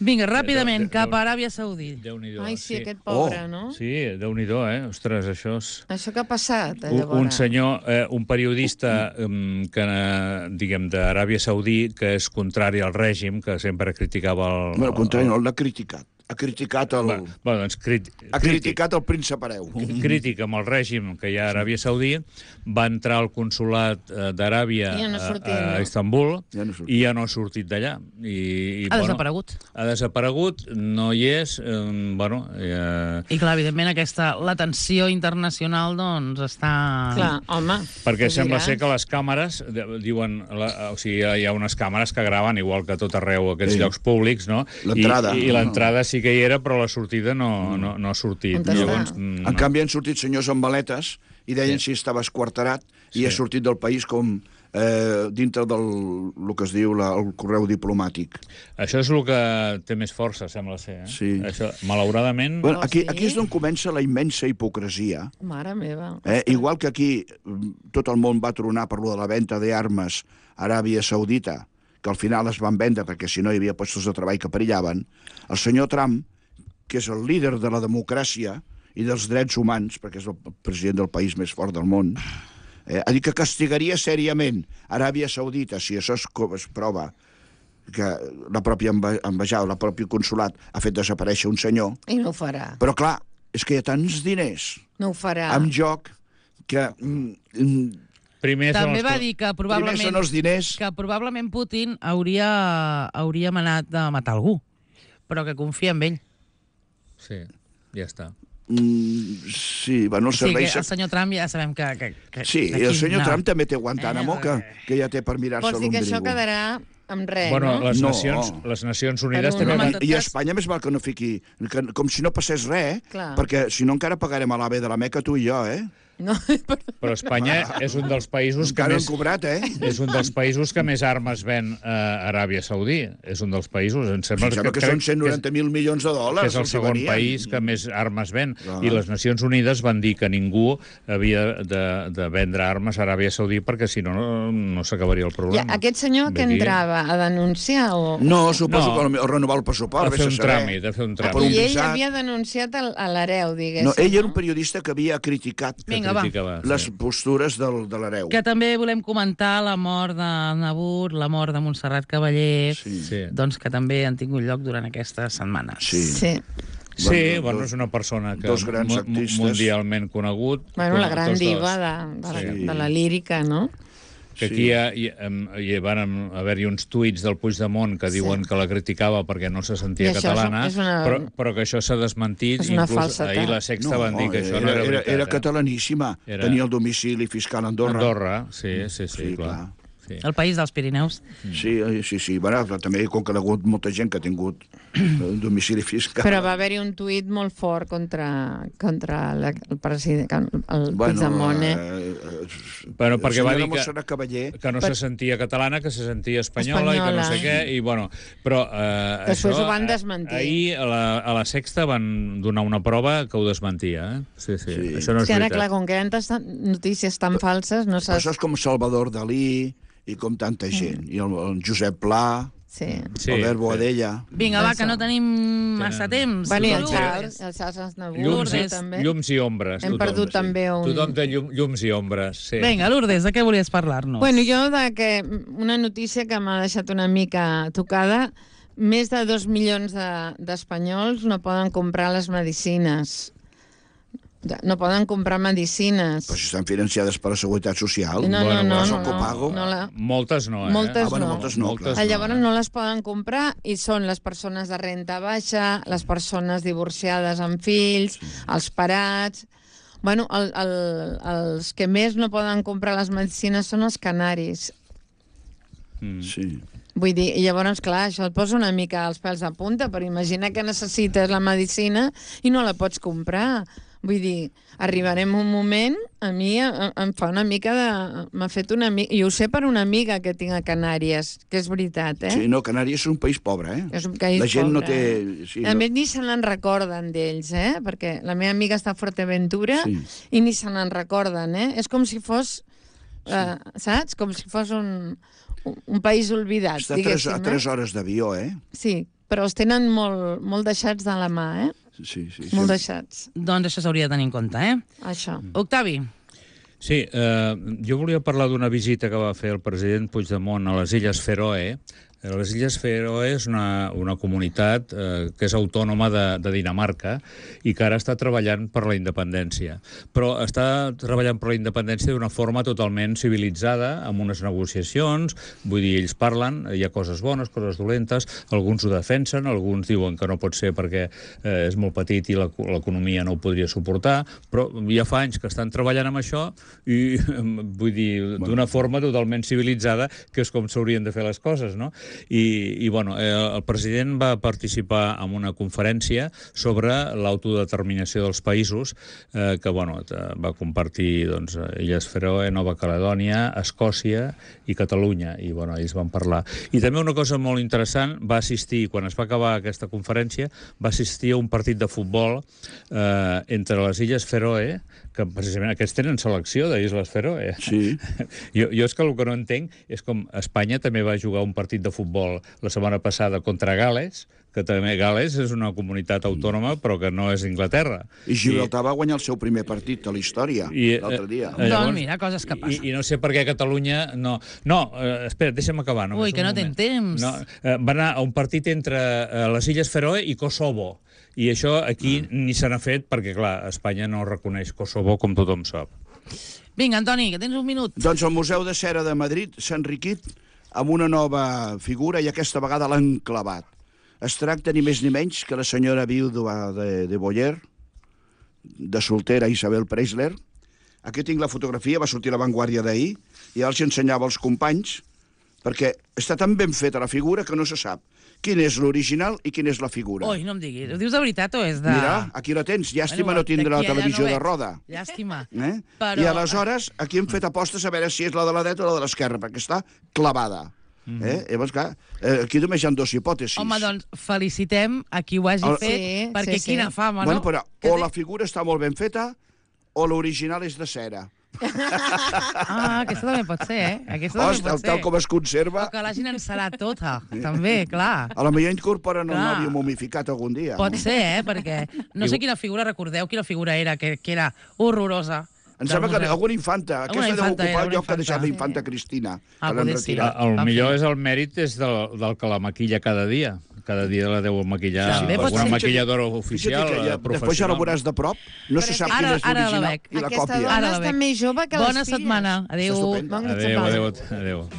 S2: Vinga, ràpidament,
S4: Déu- Déu-
S2: cap a Aràbia Saudí.
S4: Déu-n'hi-do.
S3: Ai, sí, aquest pobre,
S5: Oh,
S3: no?
S4: Sí, Déu-n'hi-do, eh? Ostres, això és...
S3: Això que ha passat,
S4: Un,
S3: llavors?
S4: un senyor, eh, un periodista um, que, eh, diguem, d'Aràbia Saudí, que és contrari al règim, que sempre criticava el...
S5: Bueno, al contrari, no l'ha criticat. Ha criticat el,
S4: Bueno, bueno, doncs, crit,
S5: ha criticat el príncep hereu.
S4: crític amb el règim que hi ha a Aràbia Saudí, va entrar al consulat eh, d'Aràbia
S3: I ja no
S4: a,
S3: sortia,
S4: a
S3: no?
S4: Istanbul
S5: Ja no ha sortit.
S4: i ja no ha sortit d'allà. I, i,
S2: Ha desaparegut.
S4: Ha desaparegut, no hi és, eh, bueno... Eh,
S2: I clar, evidentment, aquesta, la tensió internacional, doncs, està...
S3: Clar, home.
S4: Perquè
S3: ho
S4: sembla
S3: diràs.
S4: ser que les càmeres, de- diuen, la, o sigui, hi ha unes càmeres que graven igual que a tot arreu, aquests
S5: Sí.
S4: llocs públics, no?
S5: L'entrada.
S4: I, i l'entrada sí que hi era, però la sortida no, no, no ha sortit.
S3: On està?
S4: Llavors, mm,
S5: En canvi, han sortit senyors amb maletes i deien si estava esquarterat i
S4: Sí.
S5: ha sortit del país com eh, dintre del el que es diu la, el correu diplomàtic.
S4: Això és el que té més força, sembla ser. Eh?
S5: Sí.
S4: Això, malauradament...
S5: Bueno,
S3: Oh,
S5: aquí,
S3: sí?
S5: aquí és d'on comença la immensa hipocresia.
S3: Mare meva.
S5: Eh? Igual que aquí mm, tot el món va tronar per lo de la venda d'armes a Aràbia Saudita, que al final es van vendre perquè si no hi havia puestos de treball que perillaven, el senyor Trump, que és el líder de la democràcia i dels drets humans, perquè és el president del país més fort del món, eh, ha dit que castigaria sèriament Aràbia Saudita si això es, es prova que la pròpia ambaixada, el propi consulat ha fet desaparèixer un senyor.
S3: I no ho farà.
S5: Però clar, és que hi ha tants diners
S3: No ho farà.
S5: en joc que... Mm, mm,
S4: Primer
S2: També
S4: són
S2: va
S4: els...
S2: dir que
S5: primer
S2: probablement,
S5: són els diners.
S2: que probablement Putin hauria, hauria manat de matar algú, però que confia en ell.
S4: Sí, ja està.
S5: Mm, sí, bueno, el
S2: O sigui
S5: servei...
S2: que el senyor Trump ja sabem que... que, que
S5: Sí,
S2: de
S5: i el
S2: quin
S5: senyor
S2: anar.
S5: Trump també té Guantánamo,
S2: Eh,
S5: que, que ja té per mirar-se
S3: Vols dir que això
S5: l'ombligo.
S3: quedarà amb res,
S4: Bueno,
S3: no?
S4: les,
S5: No.
S4: nacions, les Nacions Unides
S3: Per un
S4: també
S3: home
S4: van...
S3: tot
S5: I, I
S3: cas-
S5: Espanya més val que no fiqui... Que, com si no passés res,
S3: Clar.
S5: perquè si no encara pagarem a l'AVE de la Meca tu i jo, eh?
S3: No,
S4: Però Espanya és un dels països que
S5: Encara
S4: més...
S5: han cobrat, eh?
S4: És un dels països que més armes ven a Aràbia Saudí. És un dels països... Em sembla,
S5: Em sembla que, que són cent noranta mil milions de
S4: que
S5: dòlars.
S4: és el
S5: els hi
S4: segon
S5: venien.
S4: país que més armes ven.
S5: Clar.
S4: I les Nacions Unides van dir que ningú havia de, de vendre armes a Aràbia Saudí perquè si no, no, no s'acabaria el
S3: ja,
S4: problema.
S3: aquest senyor que
S4: Vull dir,
S3: entrava a denunciar o...
S5: No, suposo
S4: No.
S5: que o renovar el pressupost.
S4: A
S5: vés
S4: fer
S5: a
S4: un
S5: saber.
S4: tràmit, a fer un
S5: per
S4: tràmit.
S5: un
S3: I ell
S5: visat.
S3: havia denunciat el- a l'hereu, diguéssim.
S5: No, ell era un periodista que havia criticat
S2: Vinga, va.
S4: criticava, sí.
S5: les postures del, de l'hereu.
S2: Que també volem comentar la mort de Nabur, la mort de Montserrat Cavaller,
S5: Sí.
S4: Sí.
S2: doncs que també han tingut lloc durant aquestes setmanes.
S5: Sí.
S3: Sí.
S4: Sí,
S5: Bueno,
S4: bueno,
S5: dos-
S4: és una persona que
S5: dos grans
S4: mu-
S5: artistes.
S4: mundialment conegut.
S3: Bueno, la
S4: Tots
S3: gran
S4: dos.
S3: diva de, de, la,
S5: Sí.
S3: de la lírica, no?
S4: Que
S5: Sí.
S4: aquí hi, ha, hi, em- hi van haver-hi uns tuits del Puigdemont que diuen
S3: Sí.
S4: que la criticava perquè no se sentia
S3: I això és-
S4: catalana,
S3: és una-
S4: però, però que això s'ha desmentit.
S3: És una
S4: Inclús
S3: falsedat.
S4: ahir la Sexta van dir que això no era,
S5: era,
S4: veritat.
S5: era
S4: eh?
S5: catalaníssima.
S4: Era-
S5: Tenia el domicili fiscal a Andorra.
S4: Andorra, sí, sí, sí,
S5: Sí,
S4: clar.
S5: clar.
S4: Sí.
S2: El país dels Pirineus.
S5: Sí, eh, sí, sí. Bueno, però també com que hi ha hagut molta gent que ha tingut un domicili fiscal.
S3: Però va haver-hi un tuit molt fort contra, contra la, el president, el Puigdemont, eh?
S5: eh,
S4: Bueno, perquè va dir que-
S5: Montserrat Cavaller...
S4: Que no
S3: Per-
S4: se sentia catalana, que se sentia espanyola,
S3: Espanyola.
S4: i que no sé què, i bueno, però eh,
S3: Després
S4: això,
S3: ho van
S4: eh,
S3: desmentir.
S4: Ahir a la, a la Sexta van donar una prova que ho desmentia, eh? Sí, sí,
S5: Sí.
S4: això no
S3: És
S4: és
S3: que ara,
S4: veritat.
S3: clar, com que hi ha tantes notícies tan falses, no
S5: Però
S3: saps...
S5: això és com Salvador Dalí i com tanta gent. I el, el Josep Pla,
S3: Sí.
S4: Sí,
S5: Albert
S4: sí.
S5: Boadella...
S2: Vinga, va,
S3: Això.
S2: que no tenim massa temps.
S3: Bueno, i el
S4: Tothom
S2: Lourdes.
S3: Charles, el Charles Aznavour,
S4: Llums, i,
S3: eh, també.
S4: llums i ombres.
S3: Hem
S4: tothom,
S3: perdut
S4: sí.
S3: també un...
S4: Tothom té llum, llums i ombres, sí.
S2: Vinga, Lourdes, de què volies parlar-nos?
S3: Bueno, jo de que una notícia que m'ha deixat una mica tocada, més de dos milions de- d'espanyols no poden comprar les medicines. No poden comprar medicines.
S5: Però si estan financiades per la Seguretat Social.
S3: No, no,
S4: Bueno,
S3: no,
S4: bueno,
S3: no,
S5: el copago.
S3: no, la...
S4: Moltes no, eh?
S3: Moltes
S5: Ah, bueno,
S3: no.
S5: moltes no, clar.
S3: Ah, Llavors
S4: eh?
S3: no les poden comprar i són les persones de renta baixa, les persones divorciades amb fills, els parats... Bueno, el, el, els que més no poden comprar les medicines són els canaris.
S4: Mm.
S5: Sí.
S3: Vull dir, i llavors, clar, això et posa una mica els pèls a punta, però imagina que necessites la medicina i no la pots comprar. Vull dir, arribarem un moment, a mi em, em fa una mica de... M'ha fet una mica... I ho sé per una amiga que tinc a Canàries, que és veritat, eh?
S5: Sí, no, Canàries és un país pobre, eh?
S3: És un país
S5: La gent no
S3: pobre,
S5: té...
S3: eh?
S5: Sí,
S3: A
S5: no...
S3: més, ni se n'en recorden d'ells, eh? Perquè la meva amiga està a Fuerteventura
S5: Sí.
S3: i ni se n'en recorden, eh? És com si fos... Eh, saps? Com si fos un, un país oblidat,
S5: Està a tres,
S3: diguéssim.
S5: a tres hores d'avió, eh?
S3: eh? Sí, però els tenen molt, molt deixats de la mà, eh?
S5: Sí, sí.
S3: Molt
S5: sí.
S3: deixats,
S2: Doncs això s'hauria de tenir en compte, eh?
S3: això.
S2: Octavi,
S4: Sí, eh, jo volia parlar d'una visita que va fer el president Puigdemont a les Illes Fèroe. Les Illes Fèroe és una, una comunitat eh, que és autònoma de, de Dinamarca i que ara està treballant per la independència. Però està treballant per la independència d'una forma totalment civilitzada, amb unes negociacions, vull dir, ells parlen, hi ha coses bones, coses dolentes, alguns ho defensen, alguns diuen que no pot ser perquè eh, és molt petit i l'eco- l'economia no ho podria suportar, però ja fa anys que estan treballant amb això i, vull dir, d'una forma totalment civilitzada, que és com s'haurien de fer les coses, no? I, i bueno, eh, el president va participar en una conferència sobre l'autodeterminació dels països, eh, que bueno, va compartir doncs, Illes Fèroe, Nova Caledònia, Escòcia i Catalunya, i bueno, ells van parlar. I també una cosa molt interessant, va assistir, quan es va acabar aquesta conferència, va assistir a un partit de futbol eh, entre les Illes Fèroe, que precisament aquests tenen selecció d'Illes Fèroe.
S5: Sí.
S4: Jo, jo és que el que no entenc és com Espanya també va jugar un partit de futbol la setmana passada contra Gales, que també Gales és una comunitat autònoma, però que no és Inglaterra.
S5: I Gibraltar I, va guanyar el seu primer partit a la història l'altre dia.
S2: Eh, llavors, doncs mira, coses que passen.
S4: I, I no sé per què Catalunya no... No, eh, espera, deixa'm acabar.
S2: Ui, que no tens temps.
S4: No, eh, va anar a un partit entre eh, les Illes Fèroe i Kosovo. I això aquí ah. ni se n'ha fet perquè, clar, Espanya no reconeix Kosovo, com tothom sap.
S2: Vinga, Antoni, que tens un minut.
S5: Doncs el Museu de Cera de Madrid s'ha enriquit amb una nova figura i aquesta vegada l'han clavat. Es tracta ni més ni menys que la senyora viuda de, de Boyer, de soltera Isabel Preisler. Aquí tinc la fotografia, va sortir a La Vanguardia d'ahir, i els ensenyava als companys, perquè està tan ben feta la figura que no se sap quin és l'original i quina és la figura.
S2: Ui, no em diguis. Ho dius de veritat o és de...
S5: Mira, aquí la tens. Llàstima bueno, no tindre la televisió no de roda.
S2: Llàstima.
S5: Eh?
S2: Però...
S5: I aleshores, aquí hem fet apostes a veure si és la de la dreta o la de l'esquerra, perquè està clavada. Mm -hmm. eh? Llavors, clar, aquí només hi ha dues hipòtesis.
S2: Home, doncs, felicitem a qui ho hagi El... fet, sí, perquè sí, quina sí. fama,
S5: bueno,
S2: no?
S5: Però, o la figura està molt ben feta, o l'original és de cera.
S2: Ah, aquesta també pot ser, eh? Aquesta també
S5: Ostres,
S2: pot ser.
S5: tal com es conserva...
S2: O que l'hagin encerat tota, també, clar.
S5: A la millor incorporen el nòvio momificat algun dia.
S2: Pot ser, eh? Perquè no sé quina figura, recordeu quina figura era, que, que era horrorosa.
S5: Em sembla que alguna infanta. Aquesta deu ocupar el lloc que ha deixat la infanta Cristina,
S2: ah,
S5: que l'han retirat.
S4: El millor és el mèrit és del, del que la maquilla cada dia. Cada dia la deu maquillar sí, alguna maquilladora oficial, ja, professional.
S5: Després ja la veuràs de prop, no se sap quina és l'original i la còpia.
S3: Aquesta dona està més jove que les filles.
S2: Bona setmana. Adéu.
S4: Adéu, adéu, adéu.